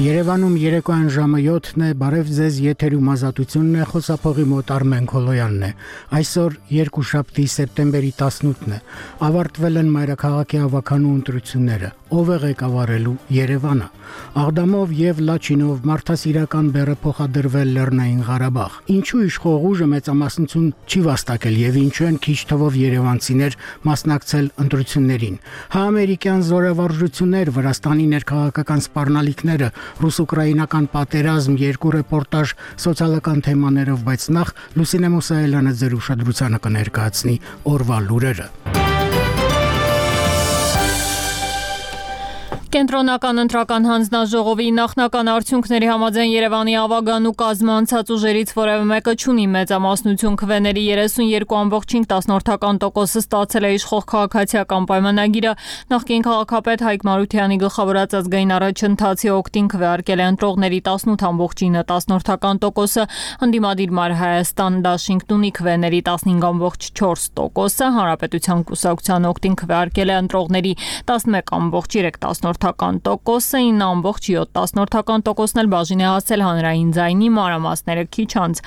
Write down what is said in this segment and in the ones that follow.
Երևանում երեկոյան ժամը 7-ն է, բարև ձեզ, եթերում ազատությունն է, խոսափողի մոտ Արմեն Քոլոյանն է։ Այսօր երկուշաբթի սեպտեմբերի 18-ն է, ավարտվել են մայրաքաղաքի հավաքանու ընտրությունները, ով է ղեկավարելու Երևանը։ Աղդամով եւ Լաչինով մարդասիրական բեռը փոխադրվել Լեռնային Ղարաբաղ։ Ինչու իշխող ուժը մեծամասնություն չի վաստակել եւ ինչու են քիչ թվով երևանցիներ մասնակցել ընտրություններին։ Համերիկյան զորավարժություններ, Վրաստանի ներքաղաքական սպառնալիքները, ռուս-ուկրաինական պատերազմ, երկու ռեպորտաժ սոցիալական թեմաներով, բայց նախ Լուսինե Մուսայելյանը ձեր ուշադրությանը կներկայացնի օրվա լուրերը։ Կենտրոնական ընտրական հանձնաժողովի նախնական արդյունքների համաձայն Երևանի ավագանու կազմանցած ուժերից որևէ մեկը չունի մեծամասնություն, քվեների 32.5% ստացել է իշխող քաղաքացիական պայմանագիրը։ Նախկին քաղաքապետ Հայկ Մարությանի գլխավորած ազգային առաջընթացի օգտին քվեարկել է ընտրողների 18.10%, ընդդիմադիր Մար Հայաստան դաշինքն ունի քվեների 15.4%, Հանրապետության կուսակցության օգտին քվեարկել է ընտրողների 11.3%, 9.7%-ն էլ բաժին է հասել հանրային ձայնի, մանրամասները քիչ անց։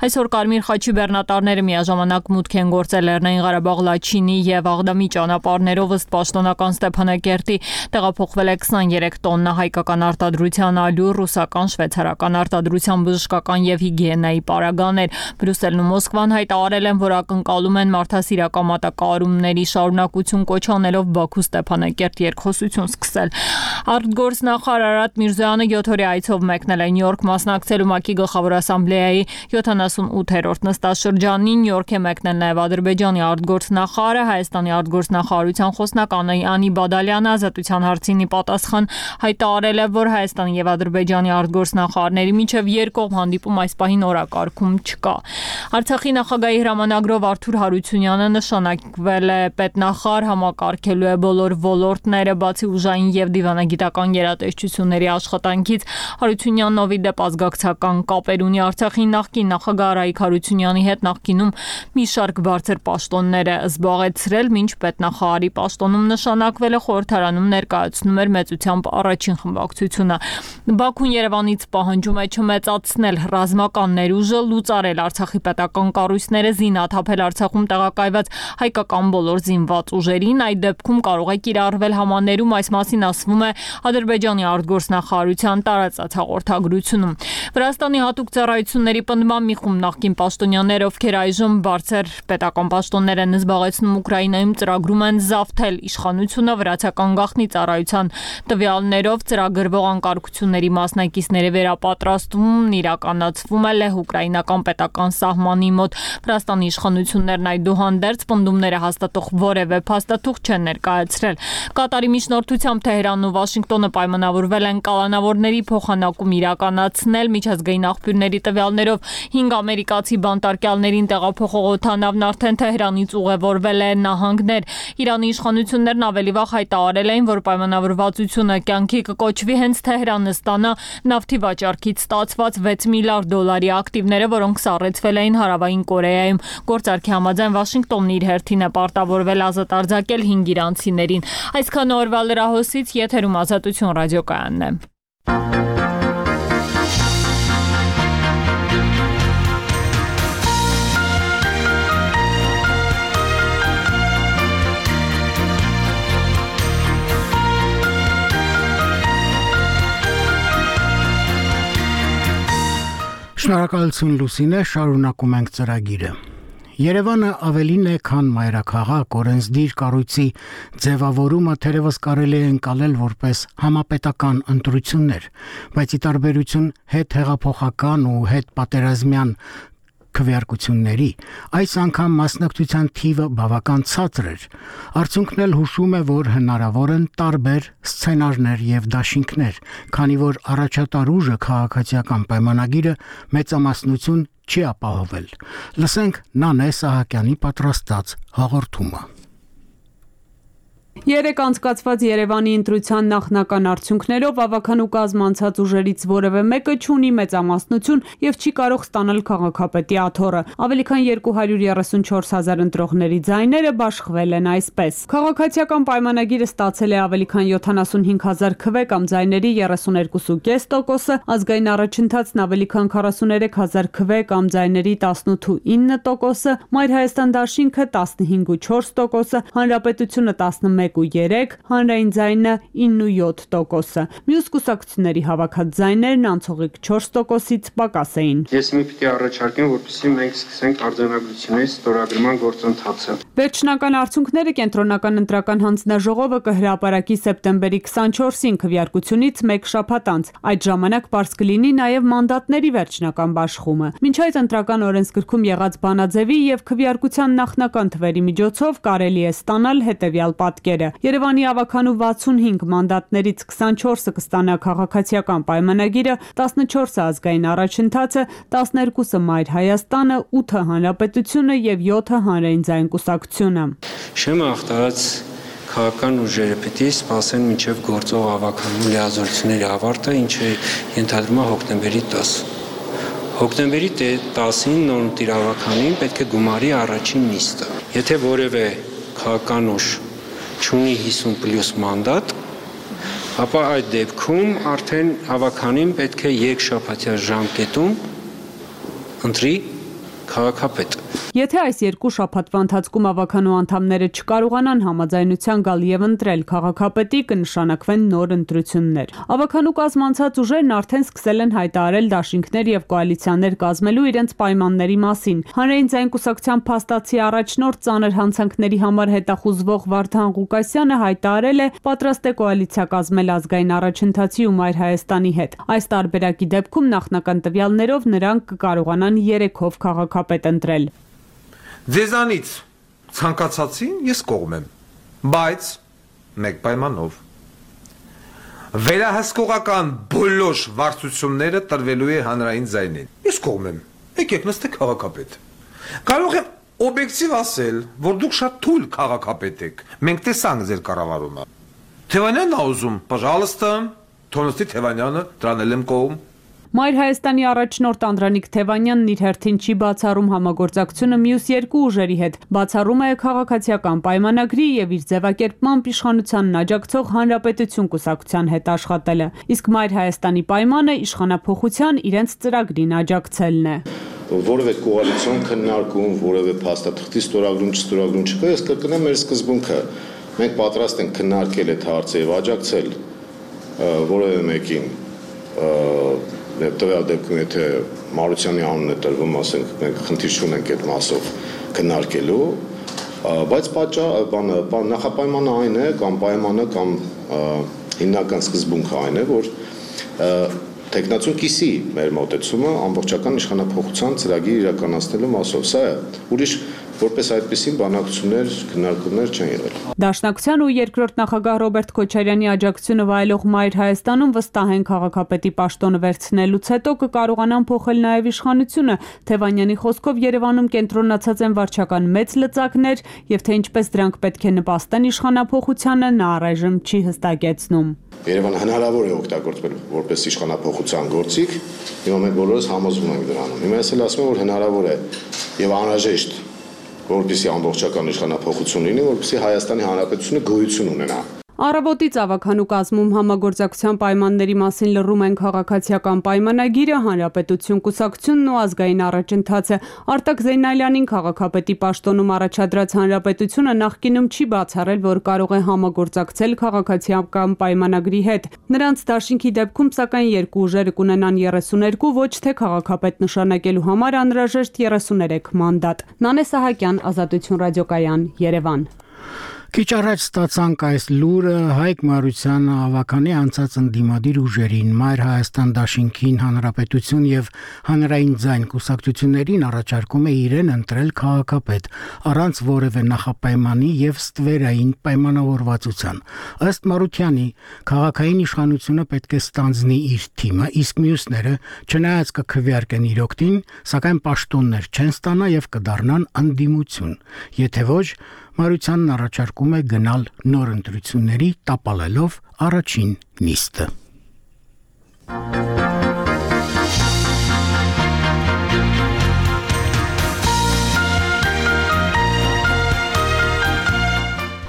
Այսօր Կարմիր խաչի բեռնատարները միաժամանակ մուտք են գործել Լեռնային Ղարաբաղ, Լաչինի եւ Աղդամի ճանապարհներով, ըստ պաշտոնական Ստեփանակերտի տեղափոխվել է 23 տոննա հայկական արտադրության ալյուր, ռուսական, շվեյցարական արտադրության բժշկական եւ հիգիենայի պարագաներ։ Բրյուսելն ու Մոսկվան հայտարարել են, որ ակնկալում են մարդասիրական մատակարարումների շարունակություն, կոչ անելով Բաքու Ստեփանակերտ երկխոսություն սկսել։ Արտգործնախարար Արարատ Միրզոյանը 7-օրյա այցով մեկնել է Նյու Յորք, մասնակցելու ՄԱԿ-ի գլխավոր ասամբլեայի 78-րդ նստաշրջանին։ Նյու Յորք է մեկնել նաև Ադրբեջանի արտգործնախարարը, Հայաստանի արտգործնախարարության խոսնակ Անի Բադալյանը ազատության հարցին պատասխան հայտարարել է, որ Հայաստանի եւ Ադրբեջանի արտգործնախարարների միջև երկկողմ հանդիպում այս պահին օրակարգում չկա։ Արցախի նախագահի հրամանագրով Արթուր Հարությունյանը նշանակվել է պետնախարար, համակարգելու է բոլոր ոլորտները, բացի ուժային եւ դիվանագիտական գերատեսչությունների աշխատանքից։ Հարությունյանն ովի դեպ ազգակցական կապեր ունի Արցախի նախկին նախագահ Արայիկ Հարությունյանի հետ, նախկինում մի շարք բարձր պաշտոններ է զբաղեցրել, մինչ պետնախարարի պաշտոնում նշանակվել է, խորհրդարանում ներկայացնում էր մեծությամբ առաջին խմբակցությունը։ Բաքուն Երևանից պահանջում է չմեծացնել ռազմական ներուժը, լուծարել Արցախի պետական կառույցները, զինաթափել Արցախում տեղակայված հայկական բոլոր զինված ուժերին։ Այդ դեպքում կարող է կիրառվել համաներում, այս մասին ասվում է Ադրբեջանի արտգործնախարարության տարածած հաղորդագրությունում։ Վրաստանի հատուկ ծառայությունների պնդման մի խումբ նախկին պաշտոնյաներ, ովքեր այժմ բարձր պետական պաշտոններ են զբաղեցնում Ուկրաինայում, ծրագրում են զավթել իշխանությունը վրացական գաղտնի ծառայության տվյալներով ծրագրվող անկարգությունների մասնակիցների վերապատրաստումն իրականացվում է լեհ-ուկրաինական պետական սահմանի մոտ։ Վրաստանի իշխանություններն այդուհանդերձ պնդումները հաստատող որևէ փաստաթուղթ չեն ներկայացրել։ Կատարի միջնորդությամբ Թեհրանն ու Վաշինգտոնը պայմանավորվել են կալանավորների փոխանակում իրականացնել։ Միջազգային աղբյուրների տվյալներով 5 ամերիկացի բանտարկյալներին տեղափոխող օդանավն արդեն Թեհրանից ուղևորվել է նահանգներ։ Իրանի իշխանություններն ավելի վաղ հայտարարել էին, որ պայմանավորվածությունը կյանքի կկոչվի հենց Թեհրանը ստանա նավթի վաճառքից ստացված $6 միլիարդ ակտիվները, որոնք սառեցվել էին Հարավային Կորեայում։ Գործարքի համաձայն Վաշինգտոնն իր հերթին է պարտավորվել ազատ արձակել 5 իրանցիներին։ Այսքան օրվա լրահոսից, եթերում Ազատություն ռադիոկայանն է։ Շնորհակալություն Լուսինե, շարունակում ենք ծրագիրը։ Երևանը ավելին է, քան մայրաքաղաք, օրենսդիր կառույցի ձևավորումը թերևս կարելի է ընկալել որպես համապետական ընտրություններ, բայց ի տարբերություն հետհեղափոխական ու հետպատերազմյան քվեարկությունների, այս անգամ մասնակցության թիվը բավական ցածր էր։ Արդյունքն էլ հուշում է, որ հնարավոր են տարբեր սցենարներ եւ դաշինքներ, քանի որ առաջատար ուժը քաղաքացիական պայմանագիրը մեծամասնություն չի ապահովել։ Լսենք Նանե Սահակյանի պատրաստած հաղորդումը։ Երեկ անցկացված Երևանի ընտրության նախնական արդյունքներով ավականու կազմ անցած ուժերից որևէ մեկը չունի մեծամասնություն եւ չի կարող ստանալ քաղաքապետի աթոռը։ Ավելի քան 234 հազար ընտրողների ձայները բաշխվել են այսպես։ Քաղաքացիական պայմանագիրը ստացել է ավելի քան 75 հազար քվե կամ ձայների 32.5%, ազգային առաջընթացն ավելի քան 43 հազար քվե կամ ձայների 18.9%, Մայր Հայաստան դաշինքը 15.4%, Հանրապետությունը 11.3%, հանրային ձայնը 9.7%։ Մյուս կուսակցությունների հավաքած ձայներն անցողիկ 4%-ից պակաս էին։ Ես մի պիտի առաջարկեմ, որպեսզի մենք սկսենք արձանագրությունների ստորագրման գործընթացը։ Վերջնական արդյունքները կենտրոնական ընտրական հանձնաժողովը կհրապարակի սեպտեմբերի 24-ին քվեարկությունից մեկ շաբաթ անց։ Այդ ժամանակ բաց կլինի նաև մանդատների վերջնական բաշխումը։ Մինչ այդ ընտրական օրենսգրքում եղած բանաձևի եւ քվեարկության նախնական թվերի միջոցով կարելի է ստանալ հետեւյալ պատկերը։ Երևանի ավականու 65 մանդատներից 24-ը կստանա քաղաքացիական պայմանագիրը, 14-ը ազգային առաջընթացը, 12-ը Մայր Հայաստանը, 8-ը Հանրապետությունը եւ 7-ը հանրային ձայն կուսակցությունը։ Շեմը ախտարած քաղաքական ուժերը պիտի սպասեն մինչև գործող ավականու լիազորությունների ավարտը, ինչը ենթադրում է հոկտեմբերի 10։ Հոկտեմբերի 10-ին նորմտիր ավականին պետք է գումարի առաջին նիստը։ Եթե որևէ քաղաքական ուժ չունի 50+ մանդատ, ապա այդ դեպքում արդեն ավականին պետք է երկշաբաթյա ժամկետում ընտրի քաղաքապետ։ Եթե այս երկու շաբաթվա ընթացքում ավականու անդամները չկարողանան համաձայնության գալ եւ ընտրել քաղաքապետի, կնշանակվեն նոր ընտրություններ։ Ավականու կազմ անցած ուժերն արդեն սկսել են հայտարարել դաշինքներ եւ կոալիցիաներ կազմելու իրենց պայմանների մասին։ Հանրային ձայն կուսակցության փաստացի առաջնորդ ծանր հանցանքների համար հետախուզվող Վարդան Ղուկասյանը հայտարարել է պատրաստ է կոալիցիա կազմել ազգային առաջընթացի ու Մայր Հայաստանի հետ։ Այս տարբերակի դեպքում նախնական տվյալներով նրանք կկարողանան 3-ով քաղաքապետ ընտրել։ Ձեզանից ցանկացածին ես կողմ եմ, բայց մեկ պայմանով։ Վերահսկողական բոլոր վարձությունները տրվելու է հանրային ձայնին։ Ես կողմ եմ։ Եկեք նստեք քաղաքապետ։ Կարող եմ օբյեկտիվ ասել, որ դուք շատ թույլ քաղաքապետ եք։ Մենք տեսանք ձեր կառավարումը։ Թևանյանն ուզում, պожалуйста, Թոնստի Թևանյանը դրանել եմ կողմ։ Մայր Հայաստանի առաջնորդ Անդրանիկ Թևանյանն իր հերթին չի բացառում համագործակցությունը մյուս երկու ուժերի հետ, բացառում է քաղաքացիական պայմանագրի եւ իր ձևակերպմամբ իշխանությանն աջակցող Հանրապետություն կուսակցության հետ աշխատելը, իսկ Մայր Հայաստանի պայմանը իշխանափոխության իրենց ծրագրին աջակցելն է։ Որևէ կոալիցիոն քննարկում, որևէ փաստաթղթի ստորագրում չկա, ես կրկնեմ մեր սկզբունքը։ Մենք պատրաստ ենք քննարկել այդ հարցը եւ աջակցել որևէ մեկին տվյալ դեպքում եթե Մարությանի անունն է տրվում, ասենք մենք խնդիր չունենք այդ մասով քննարկելու, բայց նախապայմանը այն է կամ պայմանը կամ հիմնական սկզբունքը այն է, որ տեխնացուն կիսի մեր մոտեցումը ամբողջական իշխանափոխության ծրագիր իրականացնելու մասով։ Սա է, ուրիշ որպես այդպիսին բանակցություններ, քննարկումներ չեն եղել։ Դաշնակցության ու երկրորդ նախագահ Ռոբերտ Քոչարյանի աջակցությունը վայելող Մայր Հայաստանում վստահ են քաղաքապետի պաշտոնը վերցնելուց հետո կկարողանան փոխել նաև իշխանությունը։ Թևանյանի խոսքով Երևանում կենտրոնացած են վարչական մեծ լծակներ, եւ թե ինչպես դրանք պետք է նպաստեն իշխանափոխությանը, նա առայժմ չի հստակեցնում։ Երևանը հնարավոր է օգտագործվել որպես իշխանափոխության գործիք, հիմա մենք բոլորս համոզվում ենք դրանում։ Հիմա ես էլ ասում եմ, որ հնարավոր է եւ անհրաժեշտ որպեսզի ամբողջական իշխանափոխություն լինի, որպեսզի Հայաստանի Հանրապետությունը գոյություն ունենա։ Առավոտից ավականու կազմում համագործակցության պայմանների մասին լռում են քաղաքացիական պայմանագիրը, Հանրապետություն կուսակցությունն ու ազգային առաջընթացը։ Արտակ Զեյնալյանին քաղաքապետի պաշտոնում առաջադրած Հանրապետությունը նախկինում չի բացառել, որ կարող է համագործակցել քաղաքացիական պայմանագրի հետ։ Նրանց դաշինքի դեպքում սակայն երկու ուժերը կունենան 32, ոչ թե քաղաքապետ նշանակելու համար անհրաժեշտ 33 մանդատ։ Նանե Սահակյան, Ազատություն ռադիոկայան, Երևան։ Քիչ առաջ ստացանք այս լուրը Հայկ Մարությանը ավականի անցած ընդդիմադիր ուժերին, Մայր Հայաստան դաշինքին, Հանրապետություն եւ Հանրային ձայն կուսակցություններին առաջարկում է իրեն ընտրել քաղաքապետ առանց որևէ նախապայմանի եւ ստվերային պայմանավորվածության։ Ըստ Մարությանի, քաղաքային իշխանությունը պետք է ստանձնի իր թիմը, իսկ մյուսները չնայած կքվեարկեն իր օգտին, սակայն պաշտոններ չեն ստանա եւ կդառնան ընդդիմություն։ Եթե ոչ, Մարությանն առաջարկում է գնալ նոր ընտրությունների, տապալելով առաջին նիստը։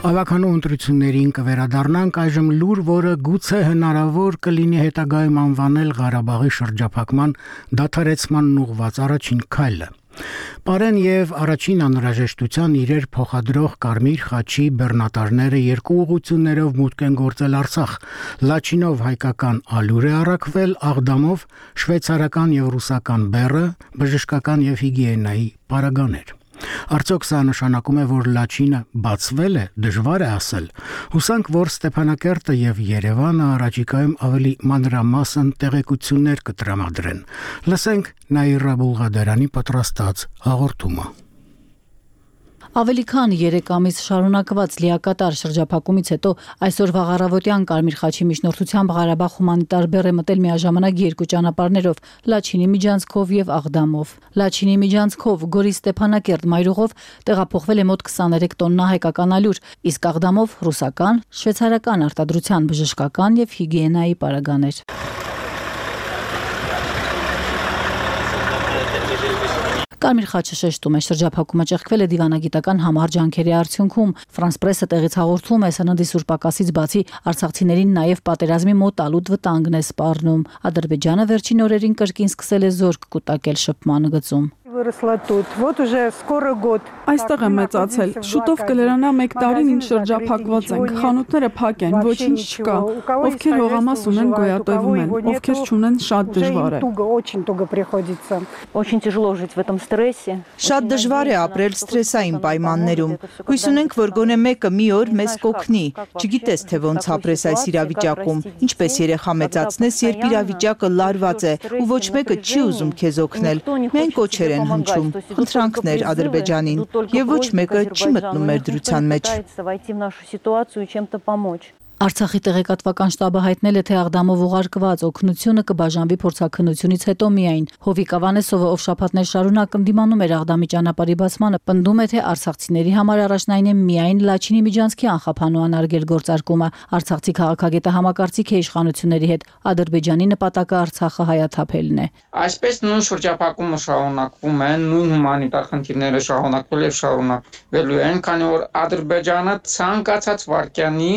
Ավականու ընտրություններին կվերադառնանք այժմ լուր, որը գուցե հնարավոր կլինի հետագայում անվանել Ղարաբաղի շրջափակման դադարեցմանն ուղղված առաջին քայլը։ Պարեն եւ առաջին անհրաժեշտության իրեր փոխադրող Կարմիր խաչի բեռնատարները երկու ուղղություններով մուտք են գործել Արցախ։ Լաչինով հայկական ալյուր է առաքվել, Աղդամով շվեյցարական եւ ռուսական բեռը, բժշկական եւ հիգիենայի պարագաներ։ Արդյոք սա նշանակում է, որ Լաչինը բացվել է, դժվար է ասել։ Հուսանք, որ Ստեփանակերտը եւ Երևանը առաջիկայում ավելի մանրամասն տեղեկություններ կտրամադրեն։ Լսենք Նաիրա Բուլղադարյանի պատրաստած հաղորդումը։ Ավելի քան 3 ամիս շարունակված լիակատար շրջափակումից հետո այսօր վաղառավոտյան Կարմիր խաչի միջնորդությամբ Ղարաբաղ հումանիտար բեռ է մտել միաժամանակ երկու ճանապարհներով՝ Լաչինի միջանցքով եւ Աղդամով։ Լաչինի միջանցքով Գորի Ստեփանակերտ մայրուղով տեղափոխվել է մոտ 23 տոննա հայկական ալյուր, իսկ Աղդամով ռուսական, շվեյցարական արտադրության բժշկական եւ հիգիենայի պարագաներ։ Կարմիր խաչը շեշտում է, շրջափակումը ճեղքվել է դիվանագիտական համառ ջանքերի արդյունքում։ Ֆրանս պրեսը տեղից հաղորդում է, սննդի սուրբակասից բացի արցախցիներին նաև պատերազմի մոտալուտ վտանգն է սպառնում։ Ադրբեջանը վերջին օրերին կրկին սկսել է զորք կուտակել շփման գծում։ Այստեղ եմ մեծացել, շուտով կլրանա 1 տարին ինչ շրջափակված ենք, խանութները փակ են, ոչինչ չկա, ովքեր հողամաս ունեն գոյատևում են, ովքեր չունեն շատ դժվար է։ Շատ դժվար է ապրել սթրեսային պայմաններում, հույս ունենք, որ գոնե մեկը մի օր մեզ կօգնի, չգիտես թե ոնց ապրես այս իրավիճակում, ինչպես երեխա մեծացնես, երբ իրավիճակը լարված է ու ոչ մեկը չի ուզում քեզ օգնել, միայն կոչեր են հնչում, խնդրանքներ Ադրբեջանին, եւ ոչ մեկը չի մտնում մեր դրության մեջ։ Արցախի տեղեկատվական շտաբը հայտնել է, թե Աղդամով ուղարկված օգնությունը կբաժանվի փորձաքննությունից հետո միայն։ Հովիկ Ավանեսովը, ով շաբաթներ շարունակ ընդդիմանում էր Աղդամի ճանապարհի բացմանը, պնդում է, թե արցախցիների համար առաջնային է միայն Լաչինի միջանցքի անխափանու անարգել գործարկումը։ Արցախցի քաղաքագետը համակարծիք է իշխանությունների հետ։ Ադրբեջանի նպատակը Արցախը հայաթափելն է։ Այսպես նույն շրջափակումը շարունակվում է, նույն հումանիտար խնդիրները շարունակվել եւ շարունակվելու են, քանի որ Ադրբեջանը ցանկացած վարկյանի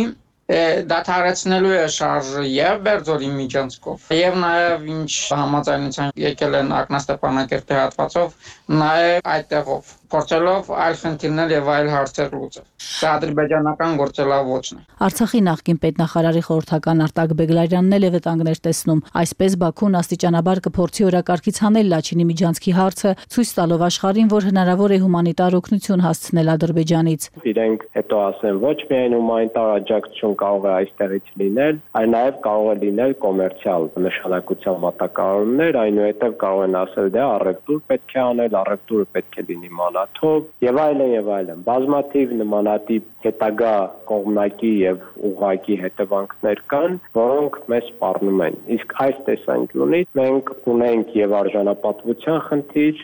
դադարեցնելու է շարժը եւ Բերձորի միջանցքով եւ նաեւ ինչ համաձայնության եկել են Ակնաստեփանակերտի հատվածով նաեւ այդտեղով փորձելով այլ խնդիրներ եւ այլ հարցեր լուծել։ Դա ադրբեջանական գործելավոճն է։ Արցախի նախկին պետնախարարի խորհրդական Արտակ Բեգլարյանն էլ է վտանգներ տեսնում։ Այսպես Բաքուն աստիճանաբար կփորձի օրակարգից հանել Լաչինի միջանցքի հարցը, ցույց տալով աշխարհին, որ հնարավոր է հումանիտար օգնություն հասցնել Ադրբեջանից։ Իրենք հետո ասեն ոչ միայն հումանիտար աջակցություն կարող է այստեղից լինել, այլ նաև կարող է լինել կոմերցիալ նշանակության մատակարարումներ, այնուհետև կարող են ասել դե առևտուր պետք է անել, առևտուրը պետք է լինի մանաթով եւ այլն։ Բազմաթիվ նմանատիպ հետագա կողմնակի եւ ուղղակի հետևանքներ կան, որոնք մեզ սպառնում են։ Իսկ այս տեսանկյունից մենք ունենք եւ արժանապատվության խնդիր,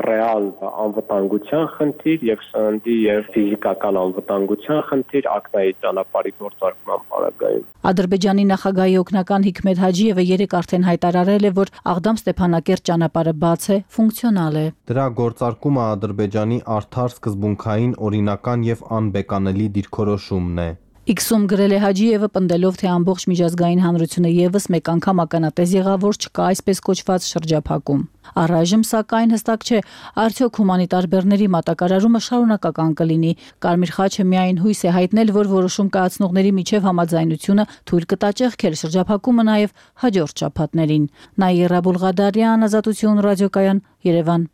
ռեալ անվտանգության խնդիր եւ սննդի եւ ֆիզիկական անվտանգության խնդիր ակնայի ճանապարհի գործարկման պարագայում։ Ադրբեջանի նախագահի օգնական Հիկմետ Հաջիևը երեկ արդեն հայտարարել է, որ Աղդամ-Ստեփանակերտ ճանապարհը բաց է, ֆունկցիոնալ է։ Դրա գործարկումը Ադրբեջանի արդար սկզբունքային, օրինական եւ անբեկանելի դիրքորոշումն է։ X-ում գրել է Հաջիևը, պնդելով, թե ամբողջ միջազգային հանրությունը եւս մեկ անգամ ականատես եղավ, որ չկա այսպես կոչված շրջափակում։ Առայժմ, սակայն, հստակ չէ, արդյոք հումանիտար բեռների մատակարարումը շարունակական կլինի։ Կարմիր խաչը միայն հույս է հայտնել, որ որոշում կայացնողների միջև համաձայնությունը թույլ կտա ճեղքել շրջափակումը նաեւ հաջորդ շաբաթներին։ Նաիրա Բուլղադարյան, Ազատություն ռադիոկայան, Երևան։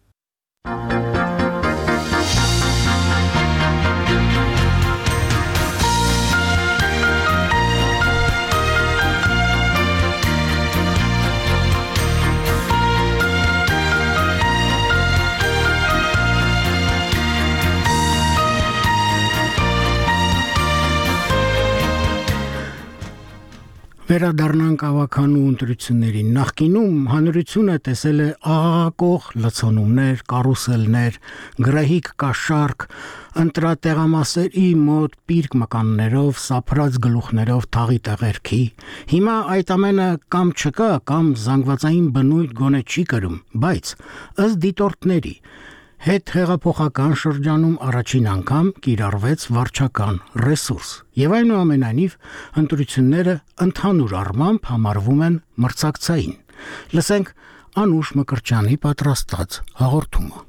Վերադառնանք ավականու ընտրություններին։ Նախկինում հանրությունը տեսել է աղաղակող լցոնումներ, կարուսելներ, գրահիկ կաշառք, ընտրատեղամասերի մոտ պիրկ մկաններով, սափրած գլուխներով թաղի տեղերքի։ Հիմա այդ ամենը կամ չկա, կամ զանգվածային բնույթ գոնե չի կրում, բայց ըստ դիտորդների հետ հեղափոխական շրջանում առաջին անգամ կիրառվեց վարչական ռեսուրս, եւ այնուամենայնիվ ընտրությունները ընդհանուր առմամբ համարվում են մրցակցային։ Լսենք Անուշ Մկրտչյանի պատրաստած հաղորդումը։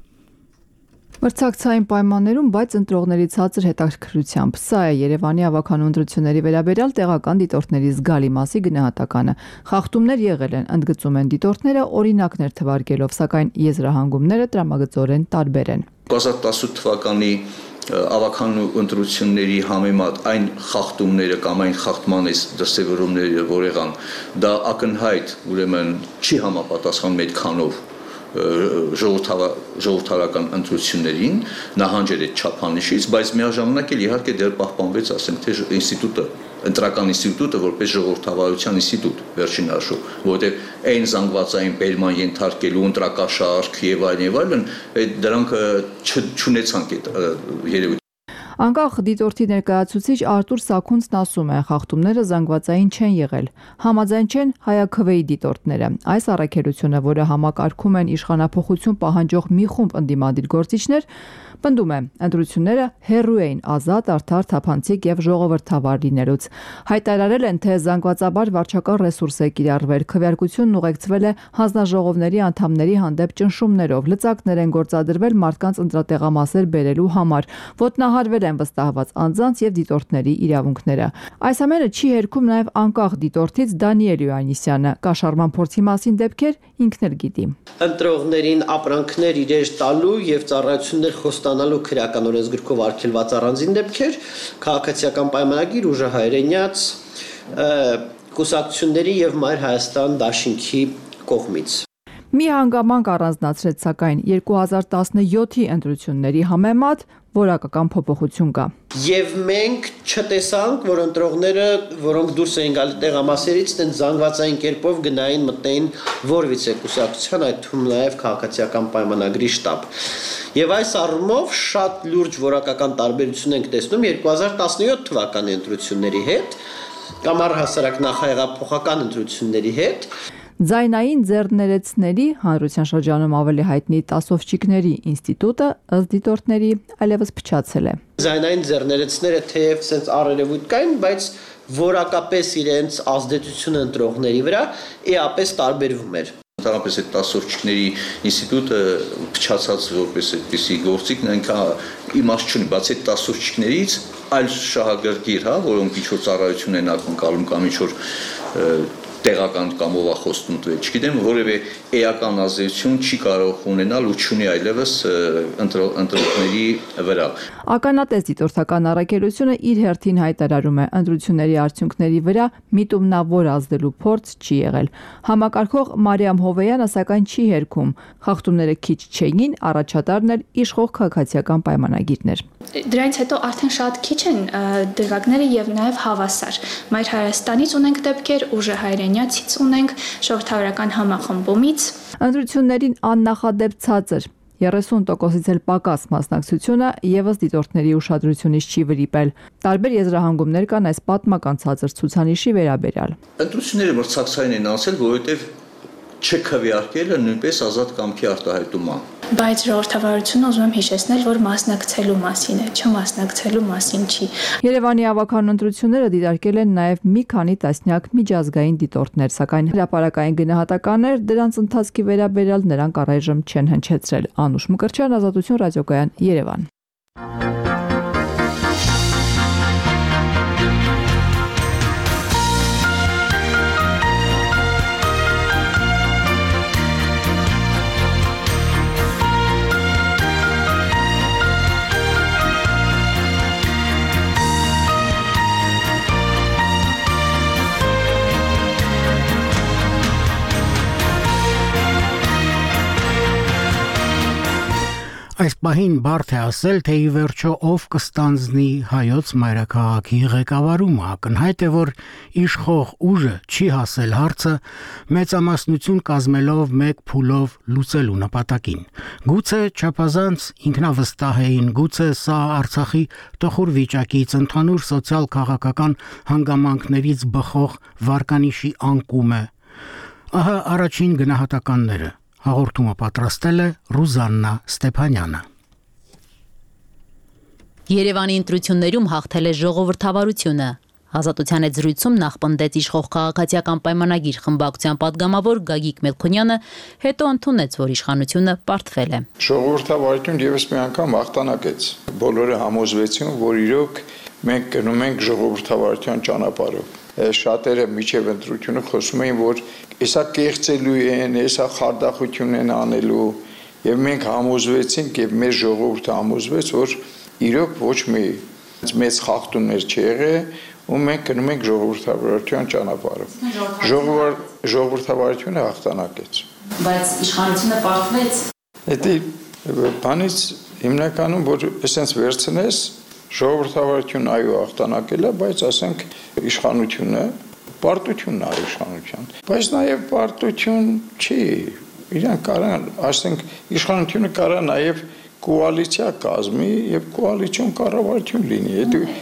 Մրցակցային պայմաններում, բայց ընտրողների ցածր հետաքրքրությամբ։ Սա է Երևանի ավականու ընտրությունների վերաբերյալ տեղական դիտորդների զգալի մասի գնահատականը։ Խախտումներ եղել են, ընդգծում են դիտորդները, օրինակներ թվարկելով, սակայն եզրահանգումները տրամագծորեն տարբեր են։ 2018 թվականի ավականու ընտրությունների համեմատ այն խախտումները կամ այն խախտման դրսևորումները, որ եղան, դա ակնհայտ, ուրեմն չի համապատասխանում այդքանով ժողովրդավարական ընտրություններին, նահանջել այդ չափանիշից, բայց միաժամանակ էլ իհարկե դեռ պահպանվեց, ասենք թե ինստիտուտը, ընտրական ինստիտուտը որպես ժողովրդավարության ինստիտուտ վերջին հաշվով, որովհետև այն զանգվածային բերման ենթարկելու ընտրակաշարք եւ այլն, դրանք չունեցանք այդ երևույթ։ Անկախ դիտորդի ներկայացուցիչ Արտուր Սաքունցն ասում է, խախտումները զանգվածային չեն եղել, համաձայն չեն հայաքվեի դիտորդները։ Այս առաքելությունը, որը համակարգում են իշխանափոխություն պահանջող մի խումբ ընդդիմադիր գործիչներ, պնդում է, ընտրությունները հեռու էին ազատ, արդար, թափանցիկ եւ ժողովրդավար լինելուց։ Հայտարարել են, թե զանգվածաբար վարչական ռեսուրս է կիրառվել, քվեարկությունն ուղեկցվել է հանձնաժողովների անդամների հանդեպ ճնշումներով, լծակներ են գործադրվել մարդկանց ընտրատեղամասեր բերելու համար, ոտնահարվել են վստահված անձանց եւ դիտորդների իրավունքները։ Այս ամենը չի հերքում նաեւ անկախ դիտորդից Դանիել Յոաննիսյանը, կաշառման փորձի մասին դեպքեր ինքն էլ գիտի։ Ընտրողներին ապրանքներ իրեր տալու եւ ծառայություններ խոստանալու քրեական օրենսգրքով արգելված առանձին դեպքեր, քաղաքացիական պայմանագիր, ուժահայրենյաց, կուսակցությունների եւ Մայր Հայաստան դաշինքի կողմից։ Մի հանգամանք առանձնացրեց, սակայն 2017-ի ընտրությունների համեմատ որակական փոփոխություն կա։ Եվ մենք չտեսանք, որ ընտրողները, որոնք դուրս էին գալի տեղամասերից, տեն զանգվածային կերպով գնային մտնեին որևիցե կուսակցության, այդ թվում նաև քաղաքացիական պայմանագրի շտաբ։ Եվ այս առումով շատ լուրջ որակական տարբերություն ենք տեսնում 2017 թվականի ընտրությունների հետ կամ առհասարակ նախահեղափոխական ընտրությունների հետ։ Ձայնային ձեռներեցների հանրության շրջանում ավելի հայտնի տասովչիկների ինստիտուտը ըստ դիտորդների այլևս փչացել է։ Ձայնային ձեռներեցները թեև sense առերևույթ կային, բայց որակապես իրենց ազդեցությունը ընտրողների վրա էապես տարբերվում էր։ Ընդհանրապես այդ տասովչիկների ինստիտուտը փչացած որպես այդպիսի գործիք այնքան իմաստ չունի, բացի այդ տասովչիկներից այլ շահագրգիռ, որոնք ինչ-որ ծառայություն են ակնկալում կամ ինչ-որ տեղական կամ ովախոստում տվել, չգիտեմ, որևէ էական ազդեցություն չի կարող ունենալ ու չունի այլևս ընտրողների վրա։ Ականատես դիտորդական առաքելությունը իր հերթին հայտարարում է, ընտրությունների արդյունքների վրա միտումնավոր ազդելու փորձ չի եղել։ Համակարգող Մարիամ Հովեյանը սակայն չի հերքում, խախտումները քիչ չէին, առաջատարն էլ իշխող քաղաքացիական պայմանագիրներ։ Դրանից հետո արդեն շատ քիչ են դրվագները եւ նաեւ հավասար։ Մայր Հայաստանից ունենք դեպքեր, ուժահայրենյացից ունենք, ժողովրդավարական համախմբումից։ Ընտրություններին աննախադեպ ցածր 30%-ից էլ պակաս մասնակցությունը եւս դիտորդների ուշադրությունից չի վրիպել։ Տարբեր եզրահանգումներ կան այս պատմական ցածր ցուցանիշի վերաբերյալ։ Ընտրությունները մրցակցային են անցել, որովհետեւ չքվեարկելը նույնպես ազատ կամքի արտահայտում է։ Բայց ժողովրդավարությունը ուզում եմ հիշեցնել, որ մասնակցելու մասին է, չմասնակցելու մասին չի։ Երևանի ավականու ընտրությունները դիտարկել են նաև մի քանի տասնյակ միջազգային դիտորդներ, սակայն հրապարակային գնահատականներ դրանց ընթացքի վերաբերյալ նրանք առայժմ չեն հնչեցրել։ Անուշ Մկրտչյան, Ազատություն ռադիոկայան, Երևան։ Այս պահին բարդ է ասել, թե ի վերջո ով կստանձնի հայոց մայրաքաղաքի ղեկավարումը, ակնհայտ է, որ իշխող ուժը չի հասել հարցը մեծամասնություն կազմելով մեկ փուլով լուծելու նպատակին։ Գուցե չափազանց ինքնավստահ էին, գուցե սա Արցախի տխուր վիճակից, ընդհանուր սոցիալ-քաղաքական հանգամանքներից բխող վարկանիշի անկում է։ Ահա առաջին գնահատականները։ Հաղորդումը պատրաստել է Ռուզաննա Ստեփանյանը։ Երևանի ընտրություններում հաղթել է ժողովրդավարությունը։ Ազատության այդ զրույցում նախ պնդեց իշխող քաղաքացիական պայմանագիր խմբակցության падգամավոր Գագիկ Մելքոնյանը, հետո ընդունեց, որ իշխանությունը պարտվել է։ Ժողովրդավարություն եւս մի անգամ հաղթանակեց։ Բոլորը համոզվեցին, որ իրոք մենք գնում ենք ժողովրդավարության ճանապարհով։ Շատերը միջև ընտրությունը խոսում էին, որ հեսա կեղծելու են, հեսա խարդախություն են անելու, եւ մենք համոզվեցինք եւ մեր ժողովուրդը համոզվեց, որ իրոք ոչ մի մեծ խախտումներ չի եղել, ու մենք գնում ենք ժողովրդավարության ճանապարհով։ Ժողովրդավարությունը հաղթանակեց։ Բայց իշխանությունը պարտվեց։ Դա բանից հիմնականում որ էսենց վերցնես ժողովրդավարությունը այո հաղթանակել է, բայց ասենք իշխանությունը պարտությունն է իշխանության։ Բայց նաև պարտություն չի։ Իրանք կարան, ասենք իշխանությունը կարա նաև կոալիցիա կազմի եւ կոալիցիոն կառավարություն լինի։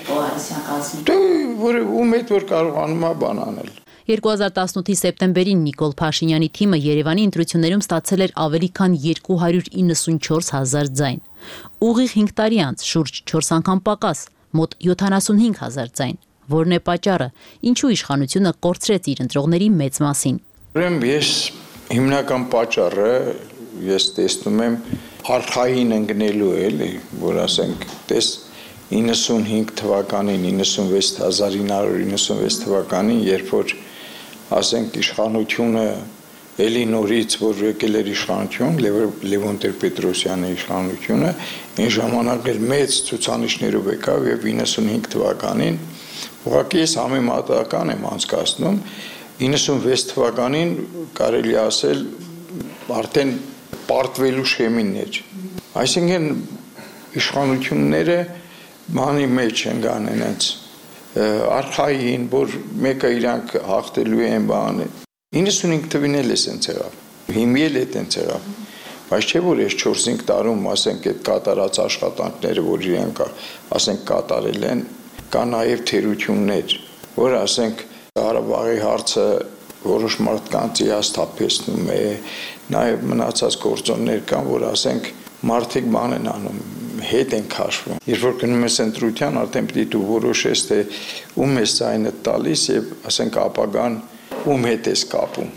Կոալիցիա կազմի։ Դե որ ում հետ որ կարողանում է բան անել։ 2018-ի սեպտեմբերին Նիկոլ Փաշինյանի թիմը Երևանի ընտրություններում ստացել էր ավելի քան 294,000 ձայն։ Ուղիղ 5 տարի անց շուրջ 4 անգամ պակաս, մոտ 75,000 ձայն։ Որն է պատճառը, ինչու իշխանությունը կորցրեց իր ընտրողների մեծ մասին։ Ուրեմն ես հիմնական պատճառը ես տեսնում եմ արխային ընկնելու էլի, որ ասենք տես 95 թվականին 1996 թվականին, երբ որ ասենք իշխանությունը էլի նորից որ եկել էր իշխանություն, Լևոն Տեր-Պետրոսյանի իշխանությունը, այն ժամանակ էլ մեծ ցուցանիշներով եկավ եւ 95 թվականին ուղղակի ես համեմատական եմ անցկացնում 96 թվականին կարելի ասել արդեն պարտվելու շեմիններ։ Այսինքն իշխանությունները բանի մեջ են գանեն այնց արխային, որ մեկը իրանք հաղթելու են բանը։ 95 թվին էլ է սենց եղավ, հիմի էլ է տենց եղավ, բայց չէ որ ես 4-5 տարում ասենք այդ կատարած աշխատանքները, որ իրանք ասենք կատարել են, կա նաև թերություններ, որ ասենք Ղարաբաղի հարցը որոշ մարդկանց հիասթափեցնում է, նաև մնացած գործոններ կան, որ ասենք մարդիկ բան են անում, հետ են քաշվում։ Երբ որ գնում ես ընտրության, արդեն պիտի դու որոշես, թե ում ես ձայնը տալիս եւ ասենք ապագան ում հետ ես կապում։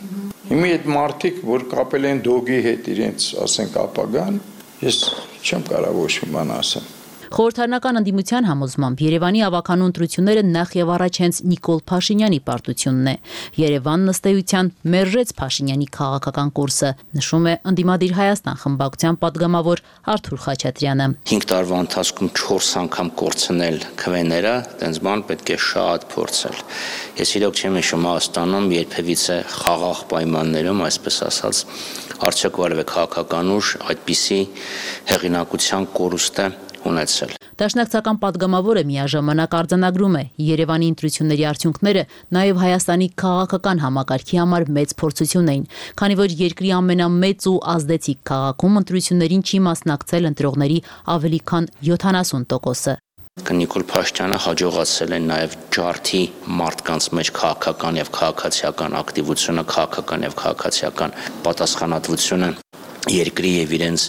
Հիմա այդ մարդիկ, որ կապել են դոգի հետ իրենց, ասենք ապագան, ես չեմ կարող ոչ մի բան ասեմ։ Խորհրդարանական ընդդիմության համոզմամբ Երևանի ավականու ընտրությունները նախ եւ առաջ հենց Նիկոլ Փաշինյանի պարտությունն է։ Երևանն ըստ էության մերժեց Փաշինյանի քաղաքական կուրսը, նշում է ընդդիմադիր Հայաստան խմբակցության падգամավոր Արթուր Խաչատրյանը։ 5 տարվա ընթացքում 4 անգամ կորցնել քվեները, տենց բան պետք է շատ փորձել։ Ես իրոք չեմ հիշում Հայաստանում երբևիցե խաղաղ պայմաններում, այսպես ասած, արդյոք որևէ քաղաքական ուժ այդպիսի հեղինակության կորուստ է ունեցել։ Դաշնակցական падգամավորը միաժամանակ արձանագրում է Երևանի ընտրությունների արդյունքները նաև Հայաստանի քաղաքական համակարգի համար մեծ փորձություն էին, քանի որ երկրի ամենամեծ ու ազդեցիկ քաղաքում ընտրություններին չի մասնակցել ընտրողների ավելի քան 70%-ը։ Նիկոլ Փաշինյանը հաջողացել է նաև ջարդի մարդկանց մեջ քաղաքական եւ քաղաքացիական ակտիվությունը, քաղաքական եւ քաղաքացիական պատասխանատվությունը երկրի եւ իրենց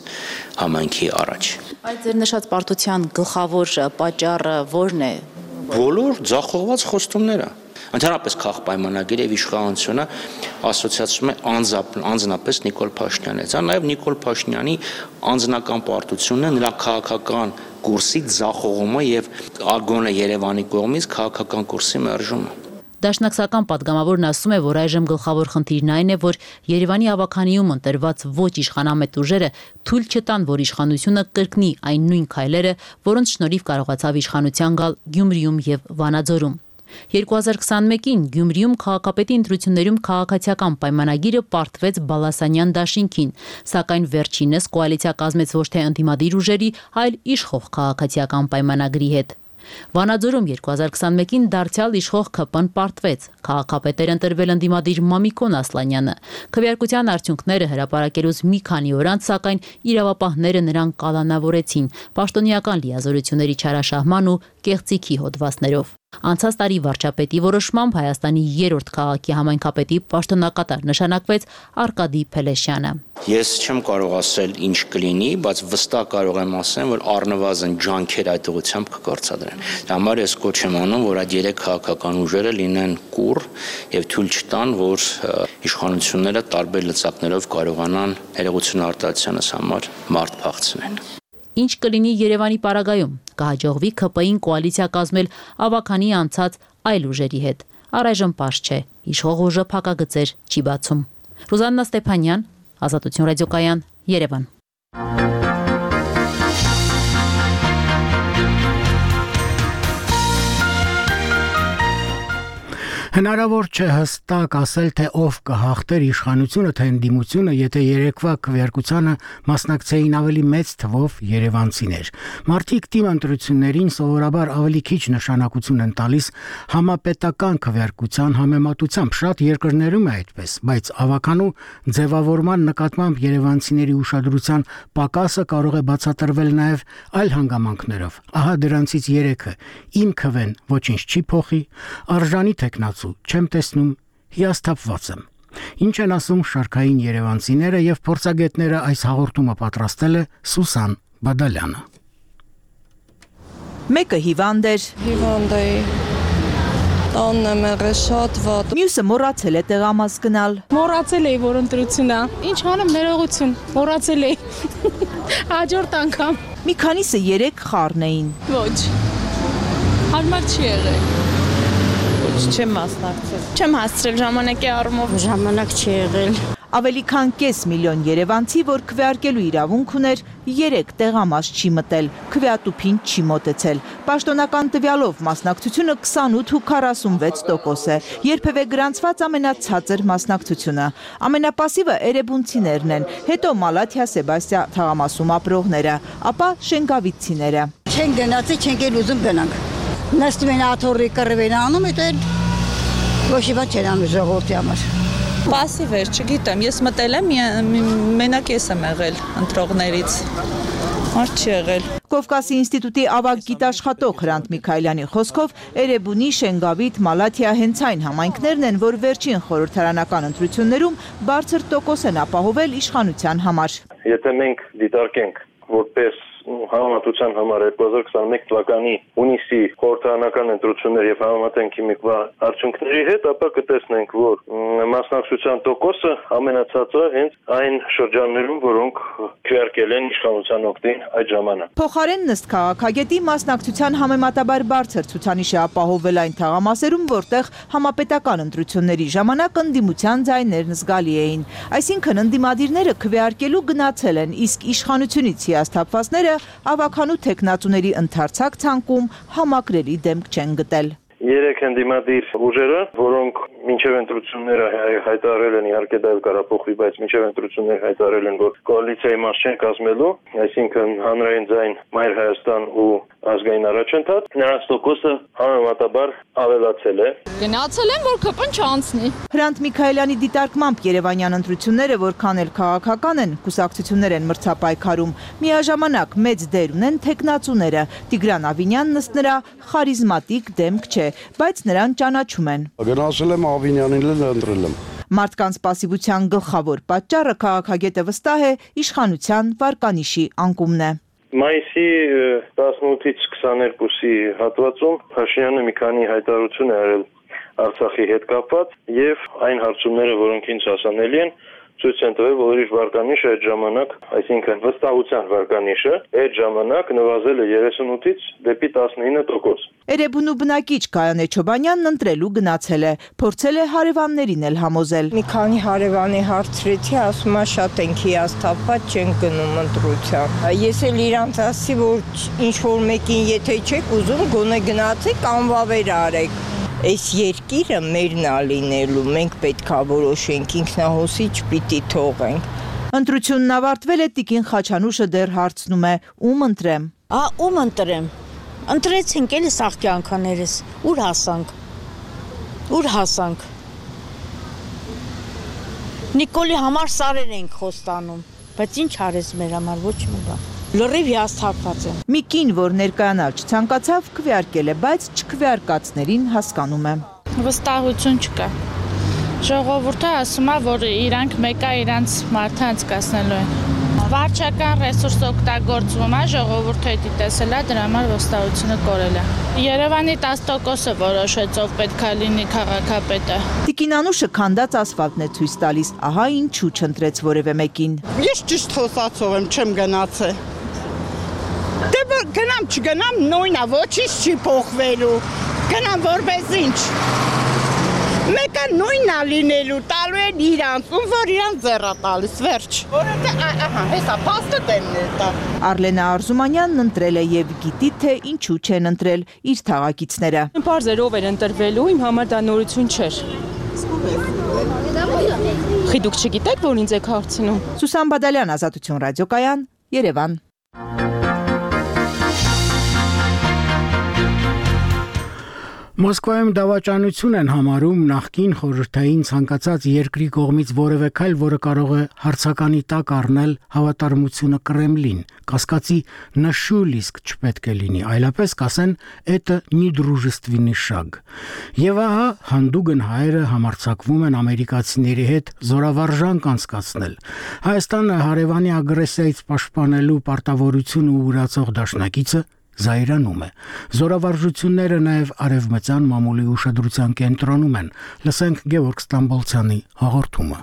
համայնքի առաջ։ Այդ ձեր նշած պարտության գլխավոր պատճառը ո՞րն է։ Բոլոր ձախողված խոստումները։ Ընդհանրապես քաղաք պայմանագիրը եւ իշխանությունը ասոցիացում է անձնապես Նիկոլ Փաշինյանից։ Դա նաեւ Նիկոլ Փաշինյանի անձնական պարտությունն է, նրա քաղաքական կուրսի ձախողումը եւ ագոնը Երևանի կողմից քաղաքական կուրսի մերժումը։ Դաշնակցական падգամավորն ասում է, որ այժմ գլխավոր խնդիրն այն է, որ Երևանի ավականիում ընտրված ոչ իշխանամետ ուժերը թույլ չտան, որ իշխանությունը կրկնի այն նույն քայլերը, որոնց շնորհիվ կարողացավ իշխանության գալ Գյումրիում եւ Վանաձորում։ 2021-ին Գյումրիում քաղաքապետի ընտրություններում քաղաքացիական պայմանագիրը պարտվեց Բալասանյան դաշինքին, սակայն վերջինս կոալիցիա կազմեց ոչ թե ընդդիմադիր ուժերի, այլ իշխող քաղաքացիական պայմանագրի հետ։ Վանաձորում 2021-ին դարձյալ իշխող ՔՊ-ն պարտվեց, քաղաքապետեր ընտրվել ընդդիմադիր Մամիկոն Ասլանյանը։ Քվեարկության արդյունքները հրապարակելուց մի քանի օր անց, սակայն իրավապահները նրան կալանավորեցին պաշտոնեական լիազորությունների չարաշահման ու կեղծիքի հոդվածներով։ Անցած տարի վարչապետի որոշմամբ Հայաստանի 3-րդ քաղաքի համայնքապետի պաշտոնակատար նշանակվեց Արկադի Փելեշյանը։ Ես չեմ կարող ասել ինչ կլինի, բայց վստահ կարող եմ ասել, որ առնվազն ջանքեր այդ ուղղությամբ կկործադրեն։ Դա համար ես կոչ եմ անում, որ այդ 3 քաղաքական ուժերը լինեն կուռ եւ թույլ չտան, որ իշխանությունները տարբեր լծակներով կարողանան ներողություն արտահայտությանս համար մարդ փախցնեն։ Ինչ կլինի Երևանի պարագայում, կհաջողվի ՔՊ-ին կոալիցիա կազմել ավականի անցած այլ ուժերի հետ։ Առայժմ պարզ չէ, իշխող ուժը փակագծեր չի բացում։ Ռուզաննա Ստեփանյան, Ազատություն ռադիոկայան, Երևան։ Հնարավոր չէ հստակ ասել, թե ով կհաղթեր իշխանությունը, թե ընդդիմությունը, եթե երեկվա քվեարկությանը մասնակցեին ավելի մեծ թվով երևանցիներ։ Մարդիկ թիմ ընտրություններին սովորաբար ավելի քիչ նշանակություն են տալիս համապետական քվեարկության համեմատությամբ, շատ երկրներում է այդպես, բայց ավականու ձևավորման նկատմամբ երևանցիների ուշադրության պակասը կարող է բացատրվել նաև այլ հանգամանքներով։ Ահա դրանցից 3-ը. իմ քվեն ոչինչ չի փոխի, արժանի տեխնացու չեմ տեսնում, հիասթափված եմ։ Ինչ են ասում շարքային երևանցիները եւ փորձագետները, այս հաղորդումը պատրաստել է Սուսան Բադալյանը։ Մեկը հիվանդ էր։ Հիվանդ է։ Տանն եմ եղել շատ վատ։ Մյուսը մոռացել է տեղամաս գնալ։ Մոռացել էի, որ ընտրությունն է։ Ինչ անեմ, ներողություն, մոռացել էի։ Հաջորդ անգամ։ Մի քանիսը 3 խառն էին։ Ոչ։ Հարմար չի եղել։ Չեմ մասնակցել։ Չեմ հասցրել ժամանակի առումով։ Ժամանակ չի եղել։ Ավելի քան կես միլիոն երևանցի, որ քվեարկելու իրավունք ուներ, 3 տեղամաս չի մտել, քվեատուփին չի մոտեցել։ Պաշտոնական տվյալով մասնակցությունը 28 ու 46% է, երբևէ գրանցված ամենացածր մասնակցությունը։ Ամենապասիվը էրեբունցիներն են, հետո Մալաթիա Սեբաստիա թաղամասում ապրողները, ապա շենգավիցցիները։ Չեն գնացի, չենք էլ ուզում գնանք։ Նստում են աթոռի կռվեն անում, այդ ոչի բան չեն անում ժողովրդի համար։ Պասիվ էր, չգիտեմ, ես մտել եմ, մենակ ես եմ եղել ընտրողներից, մարդ չի եղել։ Կովկասի ինստիտուտի ավագ գիտաշխատող Հրանտ Միքայելյանի խոսքով Էրեբունի, Շենգավիթ, Մալաթիա հենց այն համայնքներն են, որ վերջին խորհրդարանական ընտրություններում բարձր տոկոս են ապահովել իշխանության համար։ Եթե մենք դիտարկենք որպես համեմատության համար 2021 թվականի հունիսի խորհրդարանական ընտրություններ եւ համեմատենք հիմիկվա արդյունքների հետ, ապա կտեսնենք, որ մասնակցության տոկոսը ամենացածը հենց այն շրջաններում, որոնք քվեարկել են իշխանության օգտին այդ ժամանակ։ Փոխարեն նստ քաղաքագետի մասնակցության համեմատաբար բարձր ցուցանիշ է ապահովել այն թաղամասերում, որտեղ համապետական ընտրությունների ժամանակ ընդդիմության ձայներն զգալի էին։ Այսինքն ընդդիմադիրները քվեարկելու գնացել են, իսկ իշխանությունից հիասթափվածները ավականու տեխնացուների ընդարձակ ցանկում համակրելի դեմք չեն գտել։ 3 ընդդիմադիր ուժերը, որոնք մինչև ընտրությունները հայտարարել են, իհարկե դա էլ կարող փոխվի, բայց մինչև ընտրությունները հայտարարել են, որ կոալիցիայի մաս չեն կազմելու, այսինքն Հանրային ձայն, Մայր Հայաստան ու ազգային առաջընթաց, նրանց տոկոսը համեմատաբար ավելացել է։ Գնացել են, որ ԿՊ-ն չանցնի։ Հրանտ Միքայելյանի դիտարկմամբ երևանյան ընտրությունները, որքան էլ քաղաքական են, կուսակցություններ են մրցապայքարում, միաժամանակ մեծ դեր ունեն տեխնացուները։ Տիգրան Ավինյանն ըստ նրա խարիզմատիկ դեմք չէ, բայց նրան ճանաչում են։ Գնացել եմ Ավինյանին ընտրել եմ։ Մարդկանց պասիվության գլխավոր պատճառը քաղաքագետը վստահ է իշխանության վարկանիշի անկումն է։ Մայիսի 18-ից 22-ի հատվածում Փաշինյանը մի քանի հայտարարություն է արել Արցախի հետ կապված եւ այն հարցումները, որոնք ինձ հասանելի են, ցույց են տվել, որ իր վարկանիշը այդ ժամանակ, այսինքն վստահության վարկանիշը այդ ժամանակ նվազել է 38-ից դեպի 19%։ Էրեբունու բնակիչ Գայանե Չոբանյանն ընտրելու գնացել է, փորձել է հարևաններին էլ համոզել։ Մի քանի հարևանի հարցրեցի, ասում է շատ ենք հիասթափված, չեն գնում ընտրության։ Ես էլ իրանց ասի, որ ինչ որ մեկին եթե չեք ուզում, գոնե գնացեք, անվավեր արեք։ Այս երկիրը մերն ա լինելու, մենք պետք է որոշենք, ինքնահոսի չպիտի թողենք։ Ընտրությունն ավարտվել է, Տիկին Խաչանուշը դեռ հարցնում է, ում ընտրեմ։ Ում ընտրեմ։ Ընտրեցինք էլի սաղ կյանքաներս, ուր հասանք։ Նիկոլի համար սարեր ենք խոստանում, բայց ինչ արես մեր համար, ոչ մի բան։ Լրիվ հիասթափված եմ։ Մի կին, որ ներկայանալ չցանկացավ, քվեարկել է, բայց չքվեարկածներին հասկանում է։ Վստահություն չկա։ Ժողովուրդը ասում է, որ իրանք մեկը իրանց մարդը անցկացնելու են։ Վարչական ռեսուրս օգտագործվում է, ժողովուրդը դա տեսել է, դրա համար վստահությունը կորել է։ Երևանի 10%-ը որոշեց, ով պետք է լինի քաղաքապետը։ Տիկին Անուշը քանդած ասֆալտն է ցույց տալիս, ահա ինչու չընտրեց որևէ մեկին։ Ես ճիշտ խոսացող եմ, չեմ գնացել։ Դե գնամ, չգնամ, նույնն է, ոչինչ չի փոխվելու։ Գնամ որպես ինչ։ Մեկը նույնն է լինելու, տալու են իրանց, ում որ իրանց ձեռա տալիս, վերջ։ Հեսա փաստը տենն է տա։ Արլենա Արզումանյանն ընտրել է եւ գիտի թե ինչու չեն ընտրել իր թաղակիցները։ Պարզ էր ով էր ընտրվելու, իմ համար դա նորություն չէր։ Դուք չգիտեք, որ ինձ եք հարցնում։ Սուսան Բադալյան, Ազատություն ռադիոկայան, Երևան։ Մոսկվայում դավաճանություն են համարում նախկին խորհրդային ցանկացած երկրի կողմից որևէ քայլ, որը կարող է հարցականի տակ առնել հավատարմությունը Կրեմլին, կասկածի նշուլիսկ չպետք է լինի, այլապես կասեն «это не дружественный шаг»։ Եվ ահա հանդուգն հայերը համարձակվում են ամերիկացիների հետ զորավարժանք անցկացնել։ Հայաստանը հարևանի ագրեսիայից պաշտպանելու պարտավորությունը ուրացող դաշնակիցը զայրանում է։ Զորավարժությունները նաև արևմտյան մամուլի ուշադրության կենտրոնում են։ Լսենք Գևորգ Ստամբոլցյանի հաղորդումը։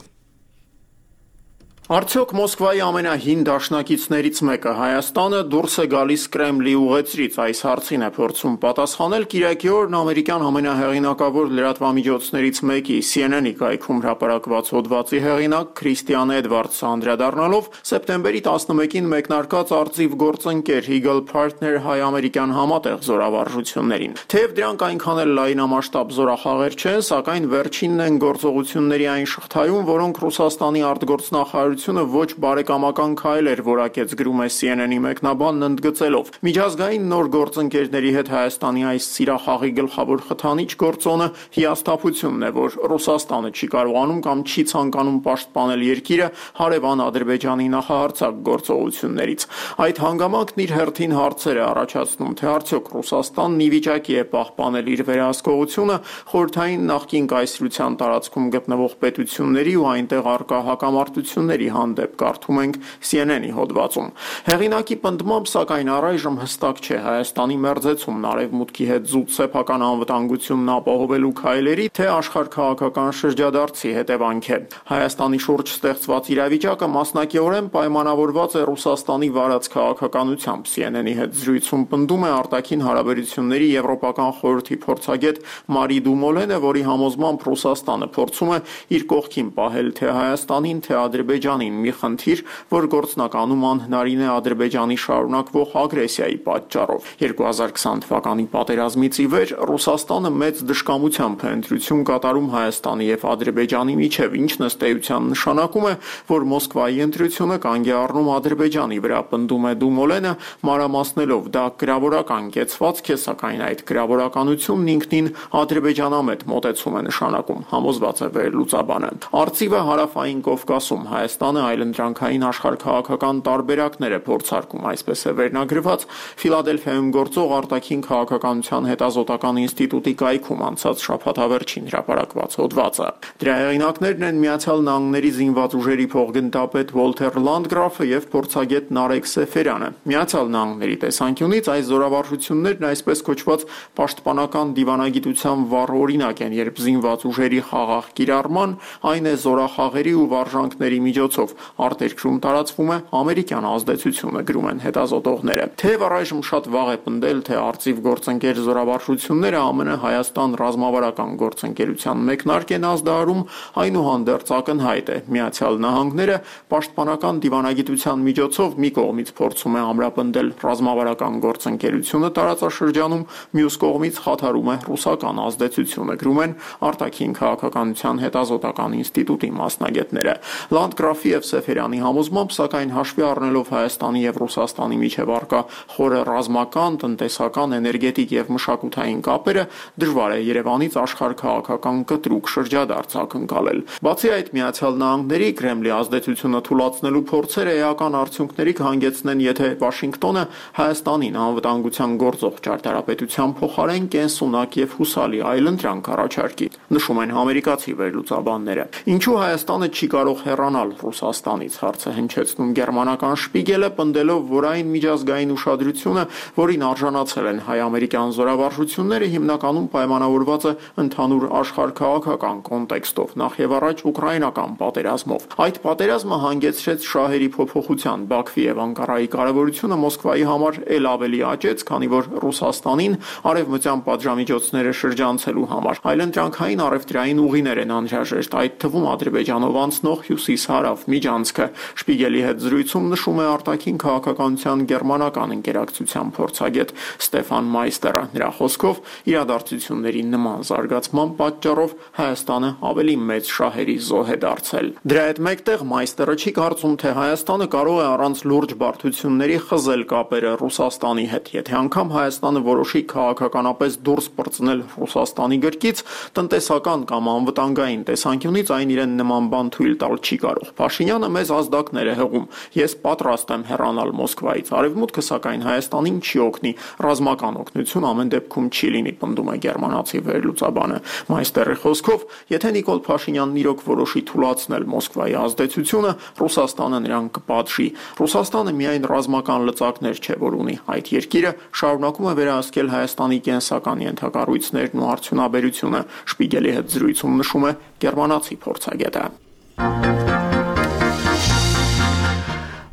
Արդյոք Մոսկվայի ամենահին դաշնակիցներից մեկը Հայաստանը դուրս է գալիս Կրեմլի ուղեցրից, այս հարցին է փորձում պատասխանել կիրակի օրն ամերիկյան ամենահեղինակավոր լրատվամիջոցներից մեկի CNN-ի կայքում հրապարակված հոդվածի հեղինակ Քրիստիան Էդվարդսը անդրադառնալով սեպտեմբերի 11-ին մեկնարկած արծիվ գործընկեր Eagle Partner հայ-ամերիկյան համատեղ զորավարժություններին։ Թեև դրանք այնքան էլ լայնամասշտաբ զորախաղեր չեն, սակայն վերջինն են գործողությունների այն շղթայում, որոնք Ռուսաստանի արտգործնախարարությունը ոչ բարեկամական քայլ էր որակեց, գրում է CNN-ի մեկնաբանն ընդգծելով։ Միջազգային նոր գործընկերների հետ Հայաստանի այս սիրախաղի գլխավոր խթանիչ գործոնը հիասթափությունն է, որ Ռուսաստանը չի կարողանում կամ չի ցանկանում պաշտպանել երկիրը հարևան Ադրբեջանի նախահարձակ գործողություններից։ Այդ հանգամանքն իր հերթին հարցեր է առաջացնում, թե արդյոք Ռուսաստանն ի վիճակի է պահպանել իր վերահսկողությունը խորհրդային նախկին կայսրության տարածքում գտնվող պետությունների ու այնտեղ առկա հակամարտությունների հանդեպ, կարդում ենք CNN-ի հոդվածում։ Հեղինակի պնդմամբ, սակայն առայժմ հստակ չէ Հայաստանի մերձեցումն արևմուտքի հետ զուտ սեփական անվտանգությունն ապահովելու քայլերի, թե աշխարհքաղաքական շրջադարձի հետևանք է։ Հայաստանի շուրջ ստեղծված իրավիճակը մասնակիորեն պայմանավորված է Ռուսաստանի վարած քաղաքականությամբ։ CNN-ի հետ զրույցում պնդում է արտաքին հարաբերությունների եվրոպական խորհրդի փորձագետ Մարի Դումոլենը, որի համոզմամբ Ռուսաստանը փորձում է իր կողքին պահել թե Հայաստանին, թե Ադրբեջանին մի խնդիր, որ գործնականում անհնարին է Ադրբեջանի շարունակվող ագրեսիայի պատճառով։ 2020 թվականի պատերազմից ի վեր Ռուսաստանը մեծ դժկամությամբ է ընտրություն կատարում Հայաստանի եւ Ադրբեջանի միջև, ինչն ըստ էության նշանակում է, որ Մոսկվայի ընտրությունը կանգ է առնում Ադրբեջանի վրա, պնդում է Դումոլենը, մանրամասնելով դա գրավորական կեցվածք է, սակայն այդ գրավորականությունն ինքնին ադրբեջանամետ մոտեցում է նշանակում, համոզված է վերլուծաբանը։ Արծիվը հարավային Կովկասում Հայաստանը այլընտրանքային աշխարհքաղաքական տարբերակներ է փորձարկում, այսպես է վերնագրված Ֆիլադելֆիայում գործող արտաքին քաղաքականության հետազոտական ինստիտուտի կայքում անցած շաբաթավերջին հրապարակված հոդվածը։ Դրա հեղինակներն են Միացյալ Նահանգների զինված ուժերի փոխգնդապետ Վոլթեր Լանդգրաֆը եւ փորձագետ Նարեկ Սեֆերյանը։ Միացյալ Նահանգների տեսանկյունից այս զորավարժություններն այսպես կոչված պաշտպանական դիվանագիտության վառ օրինակ են, երբ զինված ուժերի խաղաղ կիրառման, այն է զորախաղերի ու վարժանքների միջոցով միջոցով արտերկրում տարածվում է ամերիկյան ազդեցությունը, գրում են հետազոտողները։ Թեև առայժմ շատ վաղ է պնդել, թե արծիվ գործընկեր զորավարժությունները ԱՄՆ Հայաստան ռազմավարական գործընկերության մեկնարկ են ազդարարում, այնուհանդերձ ակնհայտ է, Միացյալ Նահանգները պաշտպանական դիվանագիտության միջոցով մի կողմից փորձում է ամրապնդել ռազմավարական գործընկերությունը տարածաշրջանում, մյուս կողմից խաթարում է ռուսական ազդեցությունը, գրում են արտաքին քաղաքականության հետազոտական ինստիտուտի մասնագետները։ Լանդգրաֆի եւ Սեֆերյանի համոզմամբ, սակայն հաշվի առնելով Հայաստանի եւ Ռուսաստանի միջև առկա խորը ռազմական, տնտեսական, էներգետիկ եւ մշակութային կապերը, դժվար է Երևանից աշխարհ-քաղաքական կտրուկ շրջադարձ ակնկալել։ Բացի այդ, Միացյալ Նահանգների Կրեմլի ազդեցությունը թուլացնելու փորձերը էական արդյունքների կհանգեցնեն, եթե Վաշինգտոնը Հայաստանին անվտանգության գործող ճարտարապետության փոխարեն կենսունակ եւ հուսալի այլընտրանք առաջարկի, նշում են ամերիկացի վերլուծաբանները։ Ինչու Հայաստանը չի կարող հեռանալ Ռուսաստանից, հարցը հնչեցնում գերմանական Շպիգելը, պնդելով, որ այն միջազգային ուշադրությունը, որին արժանացել են հայ-ամերիկյան զորավարժությունները, հիմնականում պայմանավորված է ընդհանուր աշխարհ-քաղաքական կոնտեքստով, նախ եւ առաջ ուկրաինական պատերազմով։ Այդ պատերազմը հանգեցրեց շահերի փոփոխության, Բաքվի եւ Անկարայի կարևորությունը Մոսկվայի համար ել ավելի աճեց, քանի որ Ռուսաստանին արևմտյան պատժամիջոցները շրջանցելու համար այլընտրանքային առևտրային ուղիներ են անհրաժեշտ, այդ թվում Ադրբեջանով անցնող հյուսիս-հարավ միջանցքը։ Շպիգելի հետ զրույցում նշում է արտաքին քաղաքականության գերմանական ընկերակցության փորձագետ Ստեֆան Մայստերը։ Նրա խոսքով իրադարձությունների նման զարգացման պատճառով Հայաստանը ավելի մեծ շահերի զոհ է դարձել։ Դրա հետ մեկտեղ Մայստերը չի կարծում, թե Հայաստանը կարող է առանց լուրջ բարդությունների խզել կապերը Ռուսաստանի հետ, եթե անգամ Հայաստանը որոշի քաղաքականապես դուրս պրծնել Ռուսաստանի գրկից, տնտեսական կամ անվտանգային տեսանկյունից այն իրեն նման բան թույլ տալ չի կարող։ Փաշինյանը մեզ ազդակներ է հղում։ Ես պատրաստ եմ հեռանալ Մոսկվայից։ Արևմուտքը սակայն Հայաստանին չի օգնի, ռազմական օգնություն ամեն դեպքում չի լինի, պնդում է գերմանացի վերլուծաբանը։ Մայստերի խոսքով, եթե Նիկոլ Փաշինյանն իրոք որոշի թուլացնել Մոսկվայի ազդեցությունը, Ռուսաստանը նրան կպատժի։ Ռուսաստանը միայն ռազմական լծակներ չէ, որ ունի։ Այդ երկիրը շարունակում է վերահսկել Հայաստանի կենսական ենթակառույցներն ու արդյունաբերությունը, Շպիգելի հետ զրույցում նշում է գերմանացի փորձագետը։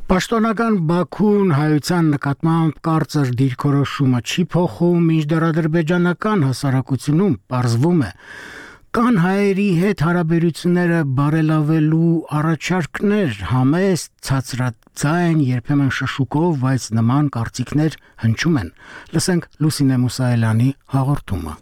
Պաշտոնական Բաքուն հայության նկատմամբ կարծր դիրքորոշումը չի փոխում, մինչդեռ ադրբեջանական հասարակությունում պարզվում է, կան հայերի հետ հարաբերությունները բարելավելու առաջարկներ, համեստ, ցածրաձայն, երբեմն շշուկով, բայց նման կարծիքներ հնչում են։ Լսենք Լուսինե Մուսայելյանի հաղորդումը։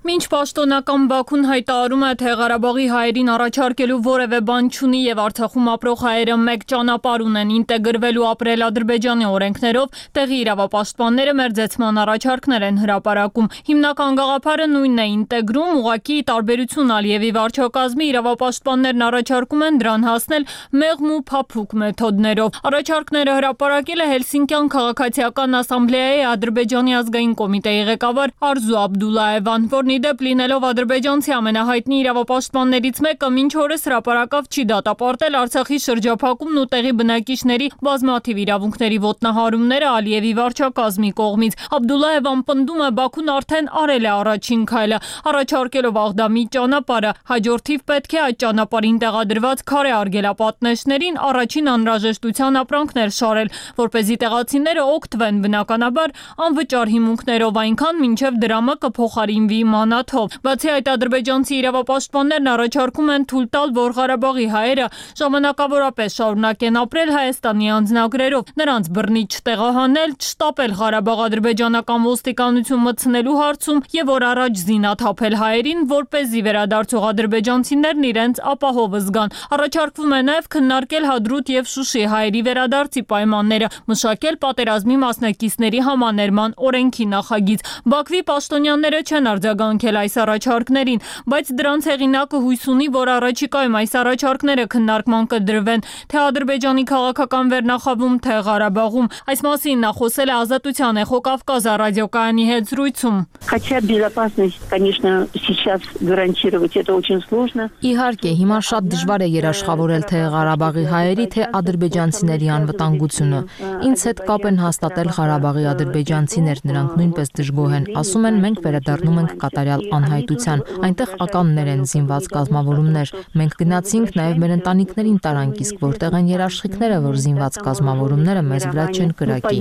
Մինչ պաշտոնական Բաքուն հայտարարում է, թե Ղարաբաղի հայերին առաջարկելու որևէ բան չունի եւ Արցախում ապրող հայերը մեկ ճանապարհ ունեն ինտեգրվելու ապրել Ադրբեջանի օրենքներով, տեղի իրավապաշտպանները մերձեցման առաջարկներ են հրապարակում։ Հիմնական գաղափարը նույնն է՝ ինտեգրում, ուղղակի տարբերություն Ալիևի վարչակազմի իրավապաշտպաններն առաջարկում են դրան հասնել մեղմ ու փափուկ մեթոդներով։ Առաջարկները հրապարակել է Հելսինկյան քաղաքացիական ասամբլեայի Ադրբեջանի ազգային կոմիտեի ղեկավար Արզու Աբդուլլաևան, որն իդեպ լինելով ադրբեջանցի ամենահայտնի իրավապաշտպաններից մեկը, մինչ օրս հրապարակավ չի դատապարտել Արցախի շրջափակումն ու տեղի բնակիչների բազմաթիվ իրավունքների ոտնահարումները Ալիևի վարչակազմի կողմից։ Աբդուլլաևան պնդում է, Բաքուն արդեն արել է առաջին քայլը, առաջարկելով Աղդամի ճանապարհը, հաջորդիվ պետք է այդ ճանապարհին տեղադրված քարե արգելապատնեշներին առաջին անհրաժեշտության ապրանքներ շարել, որպեսզի տեղացիները օգտվեն բնականաբար անվճար հիմունքներով, այնքան մինչև դրամը կփոխարինվի մանաթով։ Բացի այդ, ադրբեջանցի իրավապաշտպաններն առաջարկում են թույլ տալ, որ Ղարաբաղի հայերը ժամանակավորապես շարունակեն ապրել Հայաստանի անձնագրերով, նրանց բռնի չտեղահանել, չշտապել Ղարաբաղ-ադրբեջանական ոստիկանություն մտցնելու հարցում եւ որ առաջ զինաթափել հայերին, որպեսզի վերադարձող ադրբեջանցիներն իրենց ապահով զգան։ Առաջարկվում է նաեւ քննարկել Հադրութ եւ Շուշի հայերի վերադարձի պայմանները, մշակել պատերազմի մասնակիցների համաներման օրենքի նախագիծ։ Բաքվի պաշտոնյաները չեն արձագանքել այս առաջարկներին, բայց դրանց հեղինակը հույս ունի, որ առաջիկայում այս առաջարկները քննարկման կդրվեն թե Ադրբեջանի քաղաքական վերնախավում, թե Ղարաբաղում։ Այս մասին նա խոսել է Ազատության Էխո Կավկազը ռադիոկայանի հետ զրույցում։ Хотя безопасность, конечно, сейчас гарантировать это очень сложно. Իհարկե, հիմա շատ դժվար է երաշխավորել թե Ղարաբաղի հայերի, թե ադրբեջանցիների անվտանգությունը։ Ինձ հետ կապ են հաստատել Ղարաբաղի ադրբեջանցիներ, նրանք նույնպես դժգոհ են, ասում են մենք վերադառնում ենք կատարյալ անհայտության։ Այնտեղ ականներ են, զինված կազմավորումներ։ Մենք գնացինք, նաև մեր ընտանիքներին տարանք, իսկ որտեղ են երաշխիքները, որ զինված կազմավորումները մեզ վրա չեն կրակի։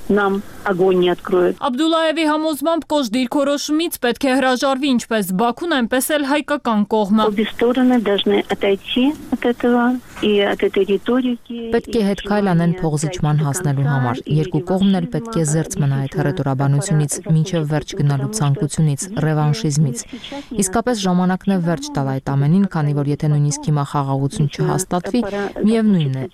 Нам огонь не откроют. Աբդուլլայևի համոզմամբ կոշտ դիրքորոշումից պետք է հրաժարվի ինչպես Բաքուն, այնպես էլ հայկական կողմը։ Պետք է հետքայլ անեն փողզիչման հասնելու համար։ Երկու կողմն էլ պետք է զերծ մնա այդ հռետորաբանությունից, մինչև վերջ գնալու ցանկությունից, ռևանշիզմից։ Իսկապես ժամանակն է վերջ տալ այդ ամենին, քանի որ եթե նույնիսկ հիմա խաղաղություն չհաստատվի, միևնույն է,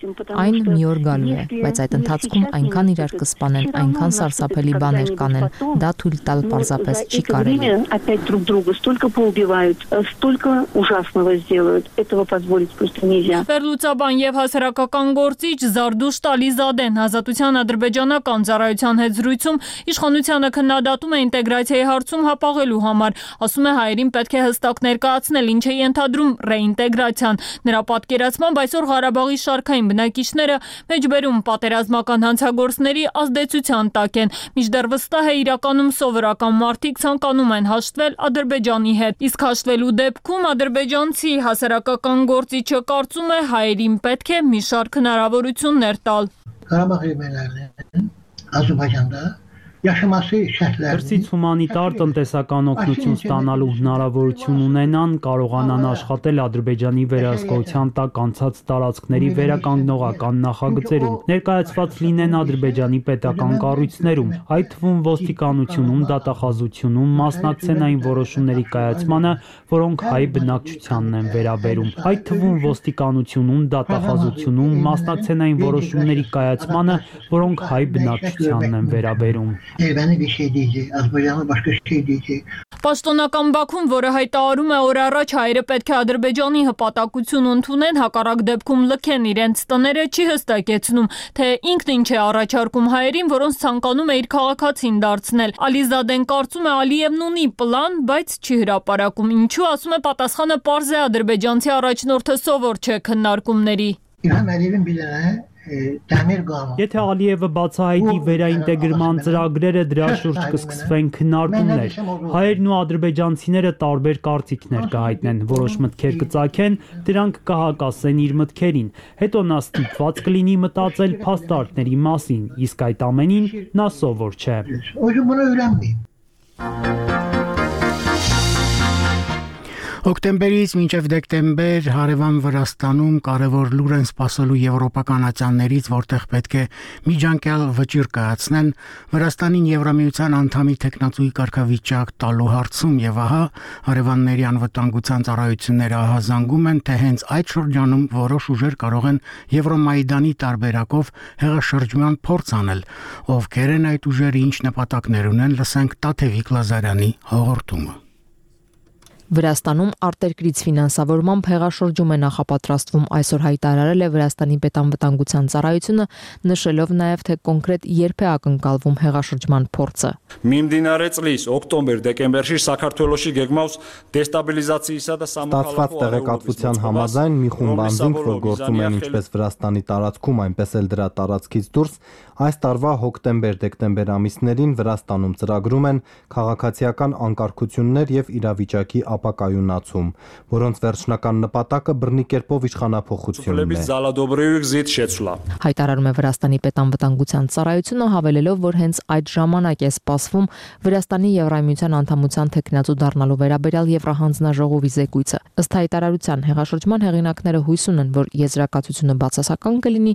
այն մի օր գալու է, բայց այդ ընթացքում այնքան իրար կսպանեն, այնքան սարսափելի բաներ կանեն, դա թույլ տալ պարզապես չի կարելի։ Опять друг друга столько поубивают, столько ужасного сделают. Этого позволить просто нельзя. Վերլուծաբան եւ հասարակական գործիչ Զարդուշտ Ալիզադեն Ազատության ադրբեջանական ծառայության հետ զրույցում իշխանությանը քննադատում է ինտեգրացիայի հարցում հապաղելու համար, ասում է հայերին պետք է հստակ ներկայացնել, ինչ է ենթադրում ռեինտեգրացիան։ Նրա պատկերացմամբ այսօր Ղարաբաղի շարքային բնակիչները մեջբերում պատերազմական հանցագործների ազդեցության տակ են, մինչդեռ վստահ է իրականում սովորական մարդիկ ցանկանում են հաշտվել Ադրբեջանի հետ, իսկ հաշտվելու դեպքում ադրբեջանցի հասարակական գործիչը կարծում է հայերին պետք է մի շարք հնարավորություններ տալ։ Ղարաբաղի մերներն Ադրբեջանն Դրսից հումանիտար տնտեսական օգնություն ստանալու հնարավորություն ունենան, կարողանան աշխատել Ադրբեջանի վերահսկողության տակ անցած տարածքների վերականգնողական նախագծերում, ներկայացված լինեն Ադրբեջանի պետական կառույցներում, այդ թվում ոստիկանությունում, դատախազությունում, մասնակցեն այն որոշումների կայացմանը, որոնք հայ բնակչությանն են վերաբերում, այդ թվում ոստիկանությունում, դատախազությունում, մասնակցեն այն որոշումների կայացմանը, որոնք հայ բնակչությանն են վերաբերում։ Պաշտոնական Բաքուն, որը հայտարարում է օր առաջ հայերը պետք է Ադրբեջանի հպատակություն ընդունեն, հակառակ դեպքում լքեն իրենց տները, չի հստակեցնում, թե ինքն ինչ է առաջարկում հայերին, որոնց ցանկանում է իր քաղաքացին դարձնել։ Ալիզադեն կարծում է Ալիևն ունի պլան, բայց չի հրապարակում։ Ինչու, ասում է, պատասխանը պարզ է, ադրբեջանցի առաջնորդը սովոր չէ քննարկումների։ Եթե Ալիևը բացահայտի վերաինտեգրման ծրագրերը, դրա շուրջ կսկսվեն քննարկումներ։ Հայերն ու ադրբեջանցիները տարբեր կարծիքներ կհայտնեն, որոշ մտքեր կծագեն, դրանք կհակասեն իր մտքերին։ Հետո նա ստիպված կլինի մտածել փաստարկների մասին, իսկ այդ ամենին նա սովոր չէ։ Հոկտեմբերից մինչև դեկտեմբեր հարևան Վրաստանում կարևոր լուր են սպասելու եվրոպական ատյաններից, որտեղ պետք է միջանկյալ վճիռ կայացնեն Վրաստանին Եվրամիության անդամի թեկնածուի կարգավիճակ տալու հարցում, եւ ահա հարևանների անվտանգության ծառայությունները ահազանգում են, թե հենց այդ շրջանում որոշ ուժեր կարող են Եվրոմայդանի տարբերակով հեղաշրջման փորձ անել։ Ովքեր են այդ ուժերը, ինչ նպատակներ ունեն, լսենք Տաթևիկ Լազարյանի հաղորդումը։ Վրաստանում արտերկրից ֆինանսավորմամբ հեղաշրջում է նախապատրաստվում, այսօր հայտարարել է Վրաստանի պետանվտանգության ծառայությունը, նշելով նաև, թե կոնկրետ երբ է ակնկալվում հեղաշրջման փորձը։ Միմդինարե ծլիս օկտոմբեր-դեկեմբերში Սաքարթվելոշի գեգմաուս դեստաբիլիզացիისა და ստացված տեղեկատվության համաձայն մի խումբ անձինք, որ գործում են ինչպես Վրաստանի տարածքում, այնպես էլ դրա տարածքից դուրս, այս տարվա հոկտեմբեր-դեկտեմբեր ամիսներին Վրաստանում ծրագրում են քաղաքացիական անկարգություններ եւ իրավիճակի ապակայունացում, որոնց վերջնական նպատակը բռնի կերպով իշխանափոխությունն է։ Հայտարարում է Վրաստանի պետանվտանգության ծառայությունը, հավելելով, որ հենց այդ ժամանակ է սպասվում Վրաստանի Եվրամիության անդամության թեկնածու դառնալու վերաբերյալ Եվրահանձնաժողովի զեկույցը։ Ըստ հայտարարության հեղաշրջման հեղինակները հույս ունեն, որ եզրակացությունը բացասական կլինի,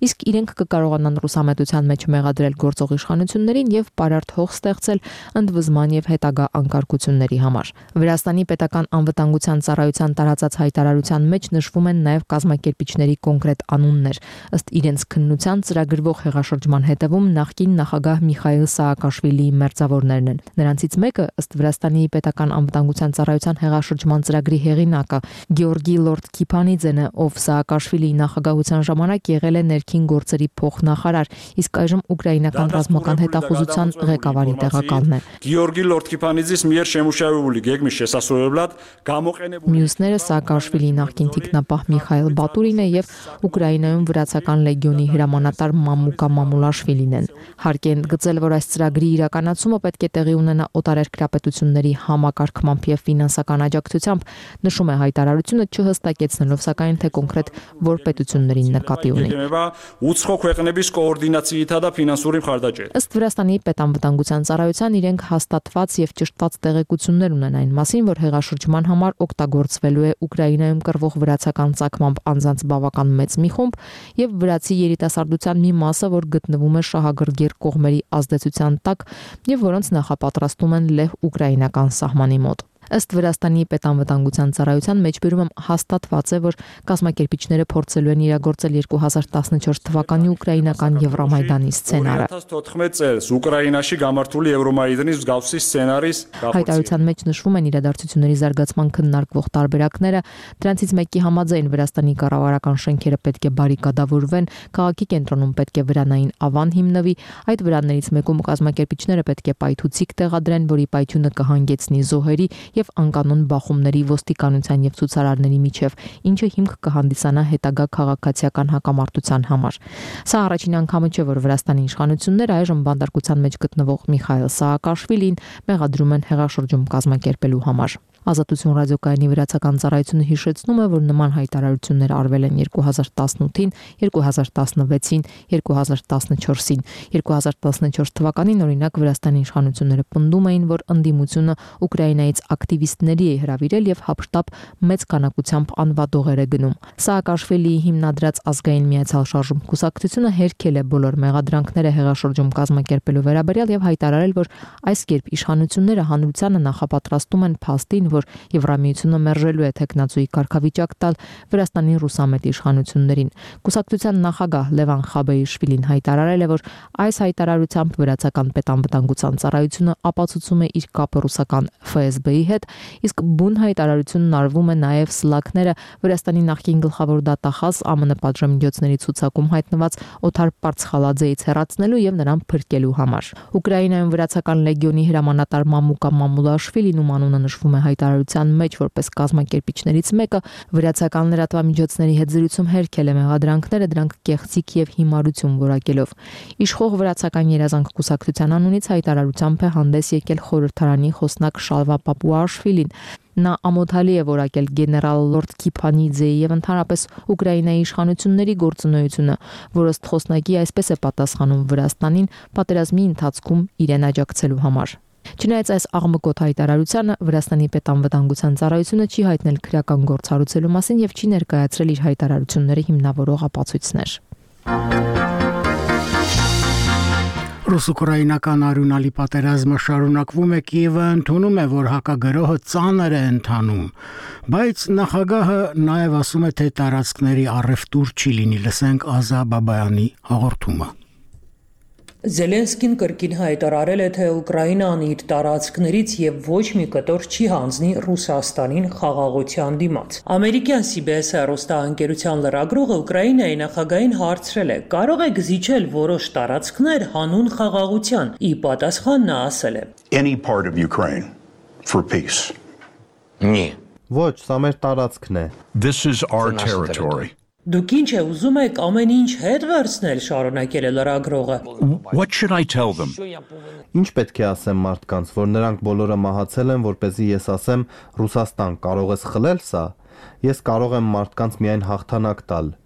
իսկ իրենք կկարողանան ռուսամետության մեջ մեղադրել գործող իշխանություններին եւ պարարտ հող ստեղծել ընդվզման եւ հետագա անկարգությունների համար։ Վրաստանի պետական անվտանգության ծառայության տարածած հայտարարության մեջ նշվում են նաև կազմակերպիչների կոնկրետ անուններ։ Ըստ իրենց քննության ծրագրվող հեղաշրջման հետևում նախկին նախագահ Միխայիլ Սաակաշվիլիի մերձավորներն են։ Նրանցից մեկը, ըստ Վրաստանի պետական անվտանգության ծառայության հեղաշրջման ծրագրի հեղինակը Գեորգի Լորդ Քիփանիձենը, ով Սաակաշվիլիի նախագահության ժամանակ եղել է ներքին գործերի փոխնախարար, իսկ այժմ ուկրաինական ռազմական հետախուզության ղեկավարի տեղակալն է։ Գեորգի Լորդ Քիփանիձիս միեր շեմուշայուլի գեգմի շեսասո устроивлад გამოყენებული Մյուսները Սաակաշվիլի նախկին թիկնապահ Միխայել Բատուրինը եւ Ուկրաինայում վրացական լեգիոնի հրամանատար Մամուկա Մամուլաշվիլին են։ Հարկ են գծել, որ այս ծրագրի իրականացումը պետք է տեղի ունենա օտարերկրապետությունների համակարգմամբ եւ ֆինանսական աջակցությամբ, նշում է հայտարարությունը, չհստակեցնելով սակայն թե կոնկրետ որ պետություններին նկատի ունի։ Ուცხո ქვეყნების կոորդինացիիთა და ֆինանսური მხარდაჭერა։ Ըստ Վրաստանի պետանվտանգության ծառայության իրենք հաստատված եւ ճշտված տեղեկություններ ունեն այն մասին, որ հեղաշրջման համար օգտագործվելու է Ուկրաինայում կռվող վրացական ցակմամբ անձանց բավական մեծ մի խումբ եւ վրացի երիտասարդության մի մասը, որ գտնվում է շահագրգիռ կողմերի ազդեցության տակ եւ որոնց նախապատրաստում են լեհ ուկրաինական սահմանի մոտ։ Ըստ Վրաստանի պետանվտանգության ծառայության մեջբերումը հաստատված է, որ կազմակերպիչները փորձելու են իրագործել 2014 թվականի ուկրաինական Եվրոմայդանի սցենարը։ 2014 წელს Ուկրաինაში გამართული Եվրոմայդանի მსგავსի սցենարիս հայտարարության մեջ նշվում են իրադարձությունների զարգացման քննարկվող տարբերակները, դրանցից մեկի համաձայն Վրաստանի կառավարական շենքերը պետք է բարիկադավորվեն, քաղաքի կենտրոնում պետք է վրանային ավան հիմնվի, այդ վրաններից մեկում կազմակերպիչները պետք է պայթուցիկ տեղադրեն, որի պայթյունը կհանգեցնի զոհերի եւ անկանոն բախումների ոստիկանության եւ ցուցարարների միջև, ինչը հիմք կհանդիսանա հետագա քաղաքացիական հակամարտության համար։ Սա առաջին անգամը չէ, որ Վրաստանի իշխանությունները այժմ բանտարկության մեջ գտնվող Միխայել Սաակաշվիլին մեղադրում են հեղաշրջում կազմակերպելու համար։ Ազատություն ռադիոկայանի վրացական ծառայությունը հիշեցնում է, որ նման հայտարարություններ արվել են 2018-ին, 2016-ին, 2014-ին։ 2014 թվականին օրինակ Վրաստանի իշխանությունները պնդում էին, որ ընդդիմությունը Ուկրաինայից ակտիվիստների է հրավիրել եւ հապշտապ մեծ քանակությամբ անվադողեր է գնում։ Սաակաշվիլիի հիմնադրած ազգային միացյալ շարժում կուսակցությունը հերքել է բոլոր մեղադրանքները հեղաշրջում կազմակերպելու վերաբերյալ եւ հայտարարել, որ այս կերպ իշխանությունները հանրությանը նախապատրաստում են փաստին, որ Եվրամիությունը մերժելու է տեխնացուի կարգավիճակ տալ Վրաստանի ռուսամետ իշխանություններին։ Կուսակցության նախագահ Լևան Խաբեիշվիլին հայտարարել է, որ այս հայտարարությամբ վրացական պետանվտանգության ծառայությունը ապացուցում է իր կապը ռուսական ՖՍԲ-ի հետ, իսկ բուն հայտարարությունն արվում է նաև սլաքները Վրաստանի նախկին գլխավոր դատախազ ԱՄՆ պատժամիջոցների ցուցակում հայտնված Օթար Պարցխալաձեից հեռացնելու եւ նրան փրկելու համար։ Ուկրաինայում վրացական լեգիոնի հրամանատար Մամուկա Մամուլաշվիլին, ում անունը նշվում է հայտարարության մեջ որպես կազմակերպիչներից մեկը, վրացական լրատվամիջոցների հետ զրույցում հերքել է մեղադրանքները, դրանք կեղծիք եւ հիմարություն որակելով։ Իշխող վրացական երազանք կուսակցության անունից հայտարարությամբ է հանդես եկել խորհրդարանի խոսնակ Շալվա Պապուաշվիլին։ Նա ամոթալի է որակել գեներալ Լորդ Քիփանիձեի եւ ընդհանրապես Ուկրաինայի իշխանությունների գործունեությունը, որը ըստ խոսնակի այսպես է պատասխանում Վրաստանին պատերազմի ընթացքում իրեն աջակցելու համար։ Չնայած այս աղմկոտ հայտարարությանը, Վրաստանի պետանվտանգության ծառայությունը չի հայտնել քրեական գործ հարուցելու մասին եւ չի ներկայացրել իր հայտարարությունները հիմնավորող ապացույցներ։ Ռուս-ուկրաինական արյունալի պատերազմը շարունակվում է, Կիևը ընդունում է, որ հակագրոհը ծանր է ընթանում, բայց նախագահը նաև ասում է, թե տարածքների առևտուր չի լինի, լսենք Ազա Բաբայանի հաղորդումը։ Զելենսկին կրկին հայտարարել է, թե Ուկրաինան իր տարածքներից եւ ոչ մի կտոր չի հանձնի Ռուսաստանին խաղաղության դիմաց։ Ամերիկյան CBS հեռուստաընկերության լրագրողը Ուկրաինայի նախագահին հարցրել է. «Կարող եք զիջել որոշ տարածքներ հանուն խաղաղության»։ Ի պատասխան նա ասել է. Any part of Ukraine for peace. Նի։ Ոչ, սա մեր տարածքն է։ This is our territory. Դուք ինչ է ուզում եք ամեն ինչ հետ վերցնել, շարունակել է լրագրողը։ What should I tell them? Ինչ պետք է ասեմ մարդկանց, որ նրանք բոլորը մահացել են, որպեսզի ես ասեմ Ռուսաստան, կարող ես խլել սա։ Ես կարող եմ մարդկանց միայն հաղթանակ տալ։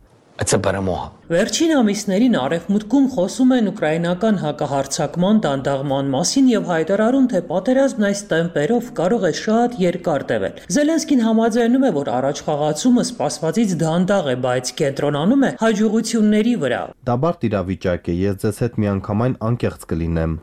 Վերջին ամիսներին Արևմուտքում խոսում են ուկրաինական հակահարձակման դանդաղման մասին եւ հայտարարում, թե պատերազմն այս տեմպերով կարող է շատ երկար տևել։ Զելենսկին համաձայնում է, որ առաջխաղացումը սպասվածից դանդաղ է, բայց կենտրոնանում է հաջողությունների վրա։ Դա բարդ իրավիճակ է, ես ձեզ հետ միանգամայն անկեղծ կլինեմ։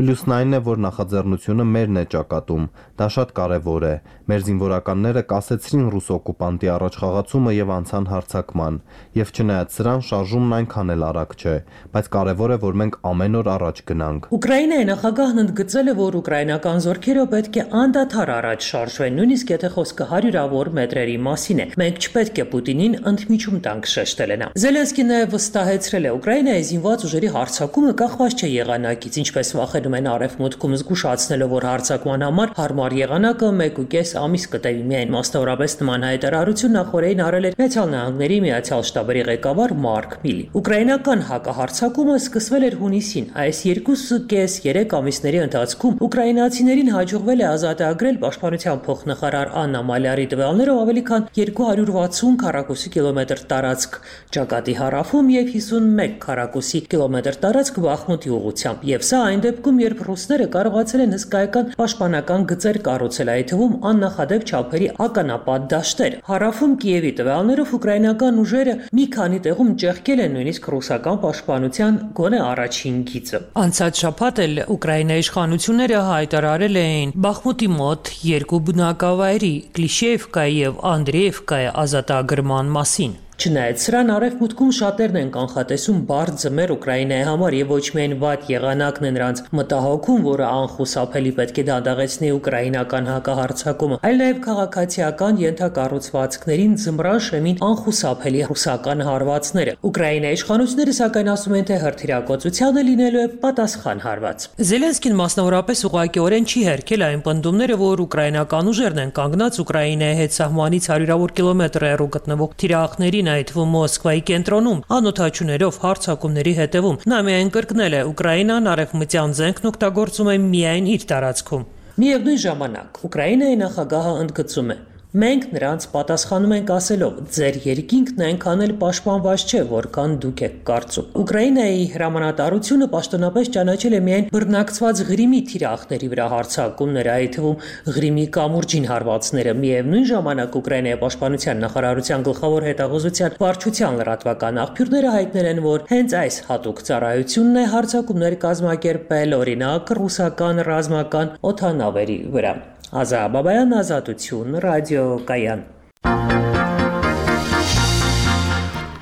Պլյուսն այն է, որ նախաձեռնությունը մերն է ճակատում, դա շատ կարևոր է։ Մեր զինվորականները կասեցրին ռուս օկուպանտի առաջխաղացումը եւ անցան հարձակման, եւ չնայած սրան շարժումն այնքան էլ արագ չէ, բայց կարևոր է, որ մենք ամեն օր առաջ գնանք։ Ուկրաինայի նախագահն ընդգծել է, որ ուկրաինական զորքերը պետք է անդադար առաջ շարժվեն, նույնիսկ եթե խոսքը հարյուրավոր մետրերի մասին է։ Մենք չպետք է Պուտինին ընդմիջում տանք, շեշտել է նա։ Զելենսկին նաեւ վստահեցրել է, Ուկրաինայի զինված ուժերի հարձակումը կախված չէ եղանակից, ինչպես վախենում վախենում են արևմուտքում, զգուշացնելով, որ հարձակման համար հարմար եղանակը 1.5 ամիս կտևի միայն։ Մասնավորապես նման հայտարարություն նախորդին արել էր Միացյալ Նահանգների Միացյալ շտաբերի ղեկավար Մարկ Միլի։ Ուկրաինական հակահարձակումը սկսվել էր հունիսին։ Այս 2.5-3 ամիսների ընթացքում ուկրաինացիներին հաջողվել է ազատագրել պաշտպանության փոխնախարար Աննա Մալյարի տվյալներով ավելի քան 260 քառակուսի կիլոմետր տարածք Ճակատի հարավում եւ 51 քառակուսի կիլոմետր տարածք Բախմուտի ուղղությամբ։ Եվ սա այն դեպքում, երբ ռուսները կարողացել են հսկայական պաշտպանական գծեր կառուցել, այդ թվում աննախադեպ չափերի ականապատ դաշտեր։ Հարավում Կիևի տվյալներով ուկրաինական ուժերը մի քանի տեղում ճեղքել են նույնիսկ ռուսական պաշտպանության գոնե առաջին գիծը։ Անցած շաբաթ էլ Ուկրաինայի իշխանությունները հայտարարել էին Բախմուտի մոտ 2 բնակավայրի Կլիշեևկայի եւ Անդրեևկայի ազատագրման մասին։ Չնայած սրան արևմուտքում շատերն են կանխատեսում բարդ ձմեռ Ուկրաինայի համար եւ ոչ միայն վատ եղանակն է նրանց մտահոգում, որը անխուսափելի պետք է դանդաղեցնի ուկրաինական հակահարձակումը, այլ նաեւ քաղաքացիական ենթակառուցվածքներին ձմռան շեմին անխուսափելի ռուսական հարվածները։ Ուկրաինայի իշխանությունները սակայն ասում են, թե հրթիռակոծությանը լինելու է պատասխան հարված։ Զելենսկին մասնավորապես ուղղակիորեն չի հերքել այն պնդումները, որ ուկրաինական ուժերն են կանգնած Ուկրաինայի հետ սահմանից 100-ավոր կիլոմետր հեռու գտնվող թիրախներին, այդ թվում Մոսկվայի կենտրոնում, անօթաչուներով հարձակումների հետևում։ Նա միայն կրկնել է, Ուկրաինան արևմտյան զենքն օգտագործում է միայն իր տարածքում։ Միևնույն ժամանակ Ուկրաինայի նախագահը ընդգծում է. Մենք նրանց պատասխանում ենք ասելով, ձեր երկինքն այնքան էլ պաշտպանված չէ, որքան դուք եք կարծում։ Ուկրաինայի հրամանատարությունը պաշտոնապես ճանաչել է միայն բռնակցված Ղրիմի թիրախների վրա հարձակումները, այդ թվում Ղրիմի կամուրջին հարվածները։ Միևնույն ժամանակ Ուկրաինայի պաշտպանության նախարարության գլխավոր հետաղոզության վարչության լրատվական աղբյուրները հայտնել են, որ հենց այս հատուկ ծառայությունն է հարձակումներ կազմակերպել օրինակ ռուսական ռազմական օդանավերի վրա։ Ազատ Բաբայան, Ազատություն, ռադիոկայան։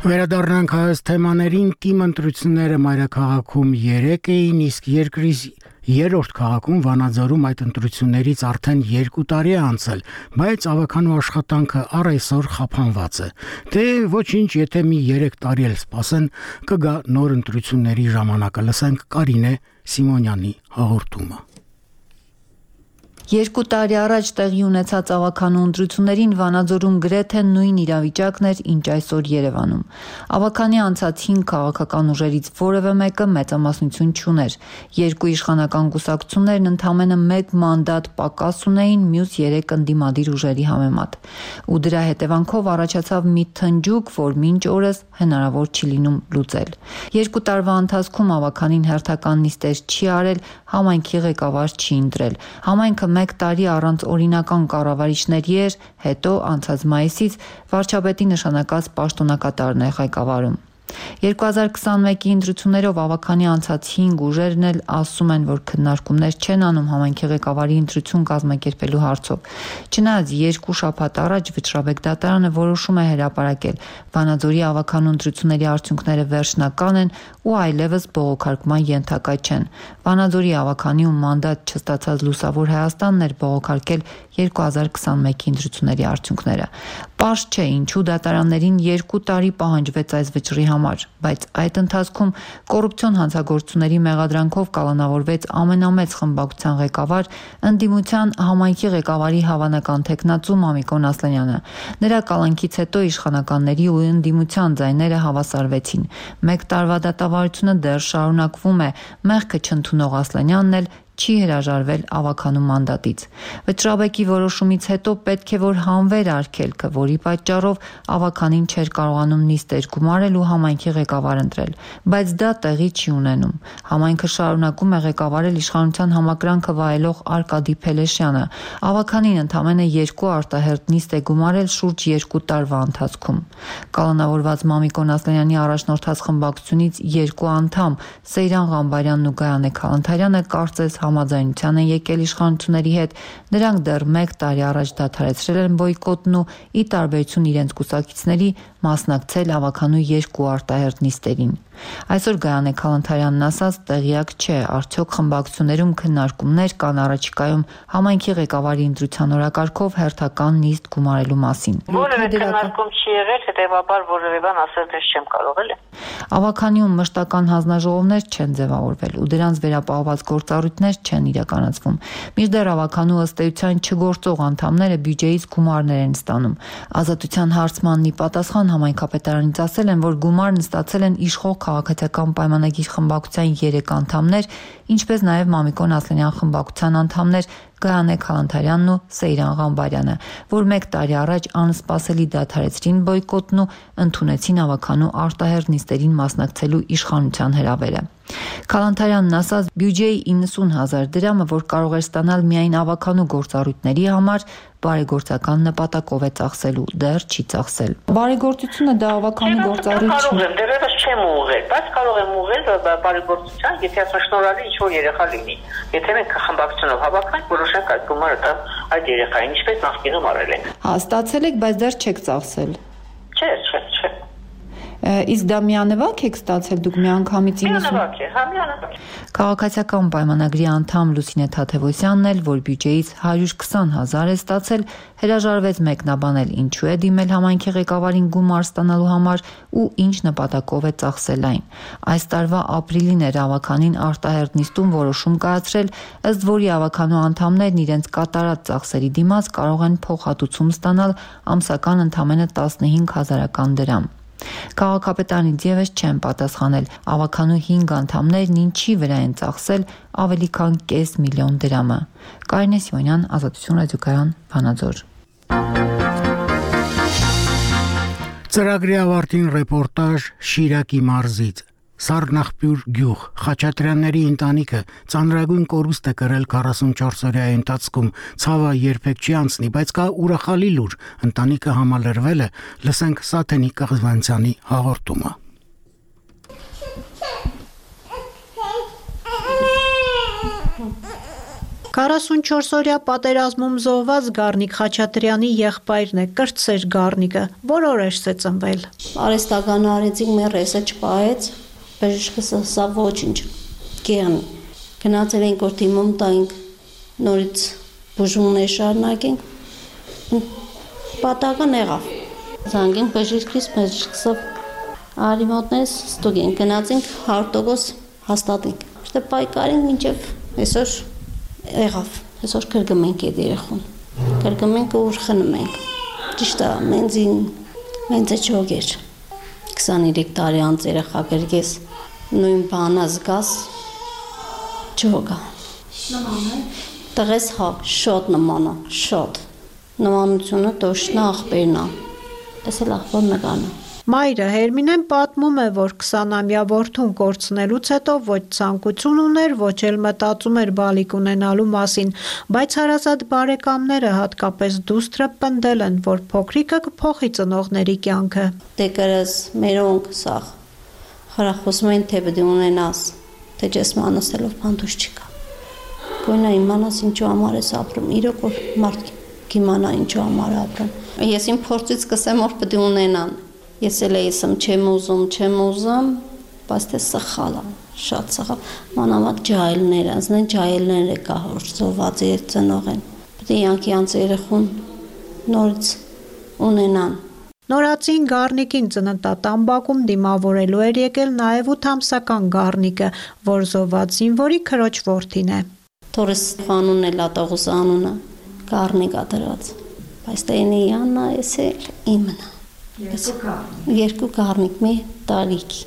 Վերադառնանք հայոց թեմաներին։ Թիմ ընտրությունները մայրաքաղաքում 3 էին, իսկ երկրի երրորդ քաղաքում Վանաձորում այդ ընտրություններից արդեն 2 տարի է անցել, բայց ավականու աշխատանքը առ այսօր խափանված է։ Դե ոչինչ, եթե մի 3 տարի էլ սպասեն, կգա նոր ընտրությունների ժամանակը։ Լսենք Կարինե Սիմոնյանի հաղորդումը։ 2 տարի առաջ տեղի ունեցած ավականու ընտրություններին Վանաձորում գրեթե նույն իրավիճակն էր, ինչ այսօր Երևանում։ Ավականի անցած 5 քաղաքական ուժերից որևէ մեկը մեծամասնություն չուներ։ 2 իշխանական կուսակցություններն ընդամենը 1 մանդատ պակաս ունեին մյուս 3 ընդդիմադիր ուժերի համեմատ։ Ու դրա հետևանքով առաջացավ մի թնջուկ, որ մինչ օրս հնարավոր չի լինում լուծել։ 2 տարվա ընթացքում ավականին հերթական նիստեր չի արել, համայնքի ղեկավար չի ընտրել։ Համայնքը 1 տարի առանց օրինական կառավարիչների էր, հետո անցած մայիսից վարչապետի նշանակած պաշտոնակատարն է ղեկավարում։ 2021-ի ընտրություններով ավականի անցած 5 ուժերն էլ ասում են, որ քննարկումներ չեն անում համայնքի ղեկավարի ընտրություն կազմակերպելու հարցով։ Չնայած 2 շաբաթ առաջ Վճռաբեկ դատարանը որոշում է հրապարակել Վանաձորի ավականու ընտրությունների արդյունքները վերջնական են ու այլևս բողոքարկման ենթակա չեն։ Վանաձորի ավականի ու մանդատ չստացած Լուսավոր Հայաստանն էր բողոքարկել 2021-ի ընտրությունների արդյունքները։ Պարզ չէ ինչու դատարաններին 2 տարի պահանջվեց այս վճռի համար, բայց այդ ընթացքում կոռուպցիոն հանցագործությունների մեղադրանքով կալանավորվեց ամենամեծ խմբակցության ղեկավար, ընդդիմության համայնքի ղեկավարի հավանական թեկնածու Մամիկոն Ասլանյանը։ Նրա կալանքից հետո իշխանականների ու ընդդիմության ձայները հավասարվեցին։ 1 տարվա դատավարությունը դեռ շարունակվում է, մեղքը չընդունող Ասլանյանն էլ չի հրաժարվել ավականու մանդատից։ Վճռաբեկի որոշումից հետո պետք է որ հանվեր արգելքը, որի պատճառով ավականին չէր կարողանում նիստեր գումարել ու համայնքի ղեկավար ընտրել, բայց դա տեղի չի ունենում։ Համայնքը շարունակում է ղեկավարել իշխանության համակրանքը վայելող Արկադի Փելեշյանը։ Ավականին ընդամենը 2 արտահերթ նիստ է գումարել շուրջ 2 տարվա ընթացքում։ Կալանավորված Մամիկոն Ասլանյանի առաջնորդած խմբակցությունից 2 անդամ Սեյրան Ղամբարյանն ու Գայանե Քալանթարյանը կարծես համաձայնության են եկել իշխանությունների հետ, նրանք դեռ 1 տարի առաջ դադարեցրել են բոյկոտն ու ի տարբերություն իրենց կուսակիցների մասնակցել ավականու 2 արտահերթ նիստերին։ Այսօր Գայանե Քալանթարյանն ասաց, տեղյակ չէ, արդյոք խմբակցություններում քննարկումներ կան առաջիկայում համայնքի ղեկավարի ընտրության օրակարգով հերթական նիստ գումարելու մասին։ Որևէ քննարկում չի եղել, հետևաբար որևէ բան ասել դες չեմ կարող էլի։ Ավականիում մշտական հանձնաժողովներ չեն ձևավորվել ու դրանց վերապահված գործառույթներ չեն իրականացվում։ Մինչդեռ ավականու ըստ էության չգործող անդամները բյուջեից գումարներ են ստանում։ Ազատության հարցմանն ի պատասխան համայնքապետարանից ասել են, որ գումարն ստացել են իշխող քաղաքացիական պայմանագիր խմբակցության 3 անդամներ, ինչպես նաև Մամիկոն Ասլանյան խմբակցության անդամներ Գայանե Քալանթարյանն ու Սեյրան Ղամբարյանը, որ 1 տարի առաջ անսպասելի դադարեցրին բոյկոտն ու ընդունեցին ավականու արտահերթ նիստերին մասնակցելու իշխանության հրավերը։ Քալանթարյանն ասաց, բյուջեի 90,000 դրամը, որ կարող էր ստանալ միայն ավականու գործառույթների համար, բարեգործական նպատակով է ծախսելու, դեռ չի ծախսել։ Բարեգործությունը դա ավականու գործառույթ չէ։ Դեռևս չեմ ուղղել, բայց կարող եմ ուղղել բարեգործության, եթե շնորհալի ինչ-որ երեխա լինի։ Եթե մենք խմբակցությունով հավաքանք, որոշենք այդ գումարը տալ այդ երեխային, ինչպես նախկինում արել ենք։ Հա, ստացել եք, բայց դեռ չեք ծախսել։ Չէ։ Իսկ դա միանվագ եք ստացել դուք միանգամից 90։ Միանվագ է, հա, միանվագ։ Քաղաքացիական պայմանագրի անդամ Լուսինե Թաթևոսյանն էլ, որ բյուջեից 120,000 է ստացել, հրաժարվեց մեկնաբանել ինչու է դիմել համայնքի ղեկավարին գումար ստանալու համար ու ինչ նպատակով է ծախսել այն։ Այս տարվա ապրիլին էր ավականին արտահերթ նիստում որոշում կայացրել, ըստ որի ավականու անդամներն իրենց կատարած ծախսերի դիմաց կարող են փոխհատուցում ստանալ ամսական ընդամենը 15,000 դրամ։ Քաղաքապետարանից եւս չեն պատասխանել ավականու 5 անդամներն ինչի վրա են ծախսել ավելի քան 500,000 դրամը։ Կարինե Սիմոնյան, Ազատություն ռադիոկայան, Վանաձոր։ Ծրագրի ավարտին ռեպորտաժ Շիրակի մարզից։ Սառնախպյուր գյուղ Խաչատրյանների ընտանիքը ծանրագույն կորուստ է կրել 44-օրյայի ընթացքում, ցավը երբեք չի անցնի, բայց կա ուրախալի լուր, ընտանիքը համալրվել է, լսենք Սաթենի Կղզվանցյանի հաղորդումը։ «44-օրյա պատերազմում զոհված Գառնիկ Խաչատրյանի եղբայրն է, կրտսեր Գառնիկը, որ օրերս է ծնվել։ Արեստականը արեցինք, մեր ռեսը չպահեց, բժիշկս ասա ոչինչ, կեղնի։ Գնացել ենք, որ թիմում տայինք, նորից բուժումներ շարունակենք, պատահական եղավ։ Զանգենք բժիշկսը արի մոտներս ստուգենք, գնացինք 100% հաստատենք։ Շտե պայքարենք մինչև այսօր եղավ, այսօր կրկնենք այդ երեխուն, կրկնենք ու խնում ենք, ճիշտ է, մենձը չոգ էր, 23 տարի անց երեխա կրգես, նույն բանը զգաս, չոգա, տղես հա, շոտ նմանա, շոտ, նմանությունը տոշնա աղբերնա, ես էլ աղբոր նգանա։ Մայրը Հերմինեն պատմում է, որ 20-ամյա որդուն կորցնելուց հետո ոչ ցանկություն ուներ, ոչ էլ մտածում էր բալիկ ունենալու մասին, բայց հարազատ բարեկամները, հատկապես դուստրը պնդել են, որ փոքրիկը կփոխի ծնողների կյանքը։ Դե կրես մերոնք սաղ, խրախոսում են թե պետք է ունենաս, թե չես մանասելով բանդուշ չկա։ Գույնա իմանաս ինչու համար ես ապրում, իրոք որ մարդ կիմանա ինչու համար ապրում։ Ես իմ փորձից սկսեմ, որ պետք է ունենան։ Ես էլ էսեմ չեմ ուզում, բայց թե սխալ է, շատ սխալ։ Մանավանդ ջահելներ, անձնեն ջահելները կա, որ զոհված է ծնող են։ Պետք է յանքի անց երեխուն նորից ունենան։ Նորածին Գառնիկին ծննդատան դիմավորելու էր եկել նաև 8-ամսական Գառնիկը, որ զոհված զինվորի քրոջ որդին է։ Թորս անունն է լատողուս անունը, Գառնիկա դրած, բայց տենի Աննա էս էլ իմն է։ Երկու Գառնիկ մի տարիքի,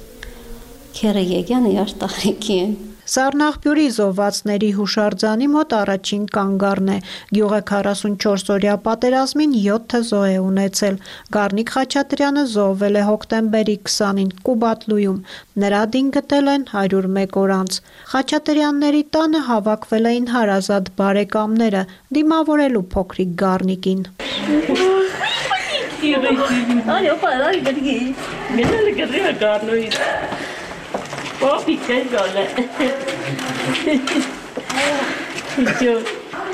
քերը եկյան իրար տարիքի են։ Սառնախպյուրի զոհվածների հուշարձանի մոտ առաջին կանգառն է, գյուղը 44-օրյա պատերազմին 7 զոհ է ունեցել, Գառնիկ Խաչատրյանը զոհվել է հոկտեմբերի 20-ին Կուբատլույում, նրա դին գտել են 101 օր անց, Խաչատրյանների տանը հավաքվել էին հարազատ բարեկամները, դիմավորելու փոքրիկ Գառնիկին։ Այո, պարայ գրգի։ Գնալը գրի Գառնոյից։ Պապի քեզ գալը։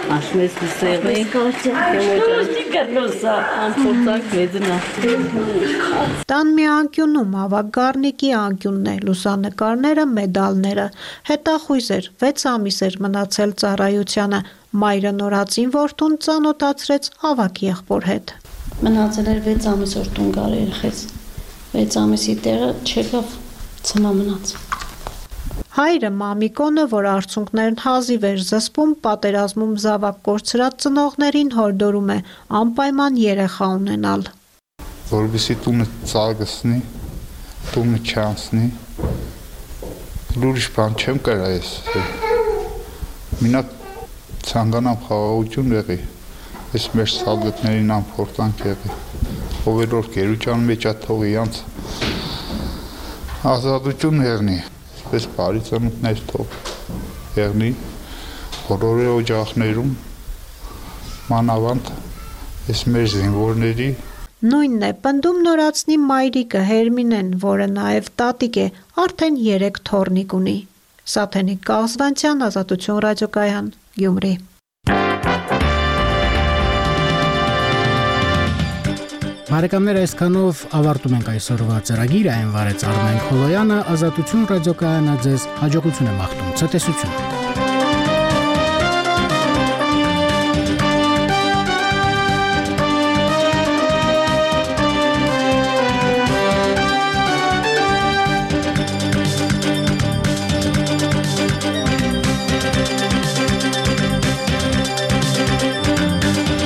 Աշմես դիսեղի, ամփորձակ մեծնա։ Տան մի անկյունում ավագ Գառնիկի անկյունն է, լուսանկարները, մեդալները։ Հետախույզ էր, 6 ամիս էր մնացել ծառայությանը։ Մայրը նորածին որդուն ծանոթացրեց ավագ եղբոր հետ։ Մնացել էր 6 ամիս որ տուն գար երեխեց։ 6 ամիսի տեղը չեկավ, ցմա մնաց։ Հայրը Մամիկոնը, որ արցունքներն հազիվ էր զսպում, պատերազմում զավակ կորցրած ծնողներին հորդորում է անպայման երեխա ունենալ։ Որովհետեւ տունը ծագսնի, տունը չանցնի։ Լուրջ բան չեմ կարա ես։ Մինակ ցանկանամ խաղաղություն եղի։ Ես մեր սալդատներին ամփորձանք եղի։ Ով որ գերության մեջ աթողի անց ազատություն եղնի։ Պես բարի ծնունդներ թող եղնի, բոլորի օջախներում, մանավանդ ես մեր զինվորների։ Նույնն է պնդում նորածնի մայրիկը Հերմինեն, որը նաև տատիկ է, արդեն 3 թոռնիկ ունի։ Սաթենիկ Կաղզվանցյան, Ազատություն ռադիոկայան, Գյումրի։ Բարեկամներ, այսքանով ավարտում ենք այսօրվա ծրագիրը, այն վարեց Արմեն Խոլոյանը, Ազատություն ռադիոկայանը ձեզ հաջողություն եմ աղթում, ցտեսություն։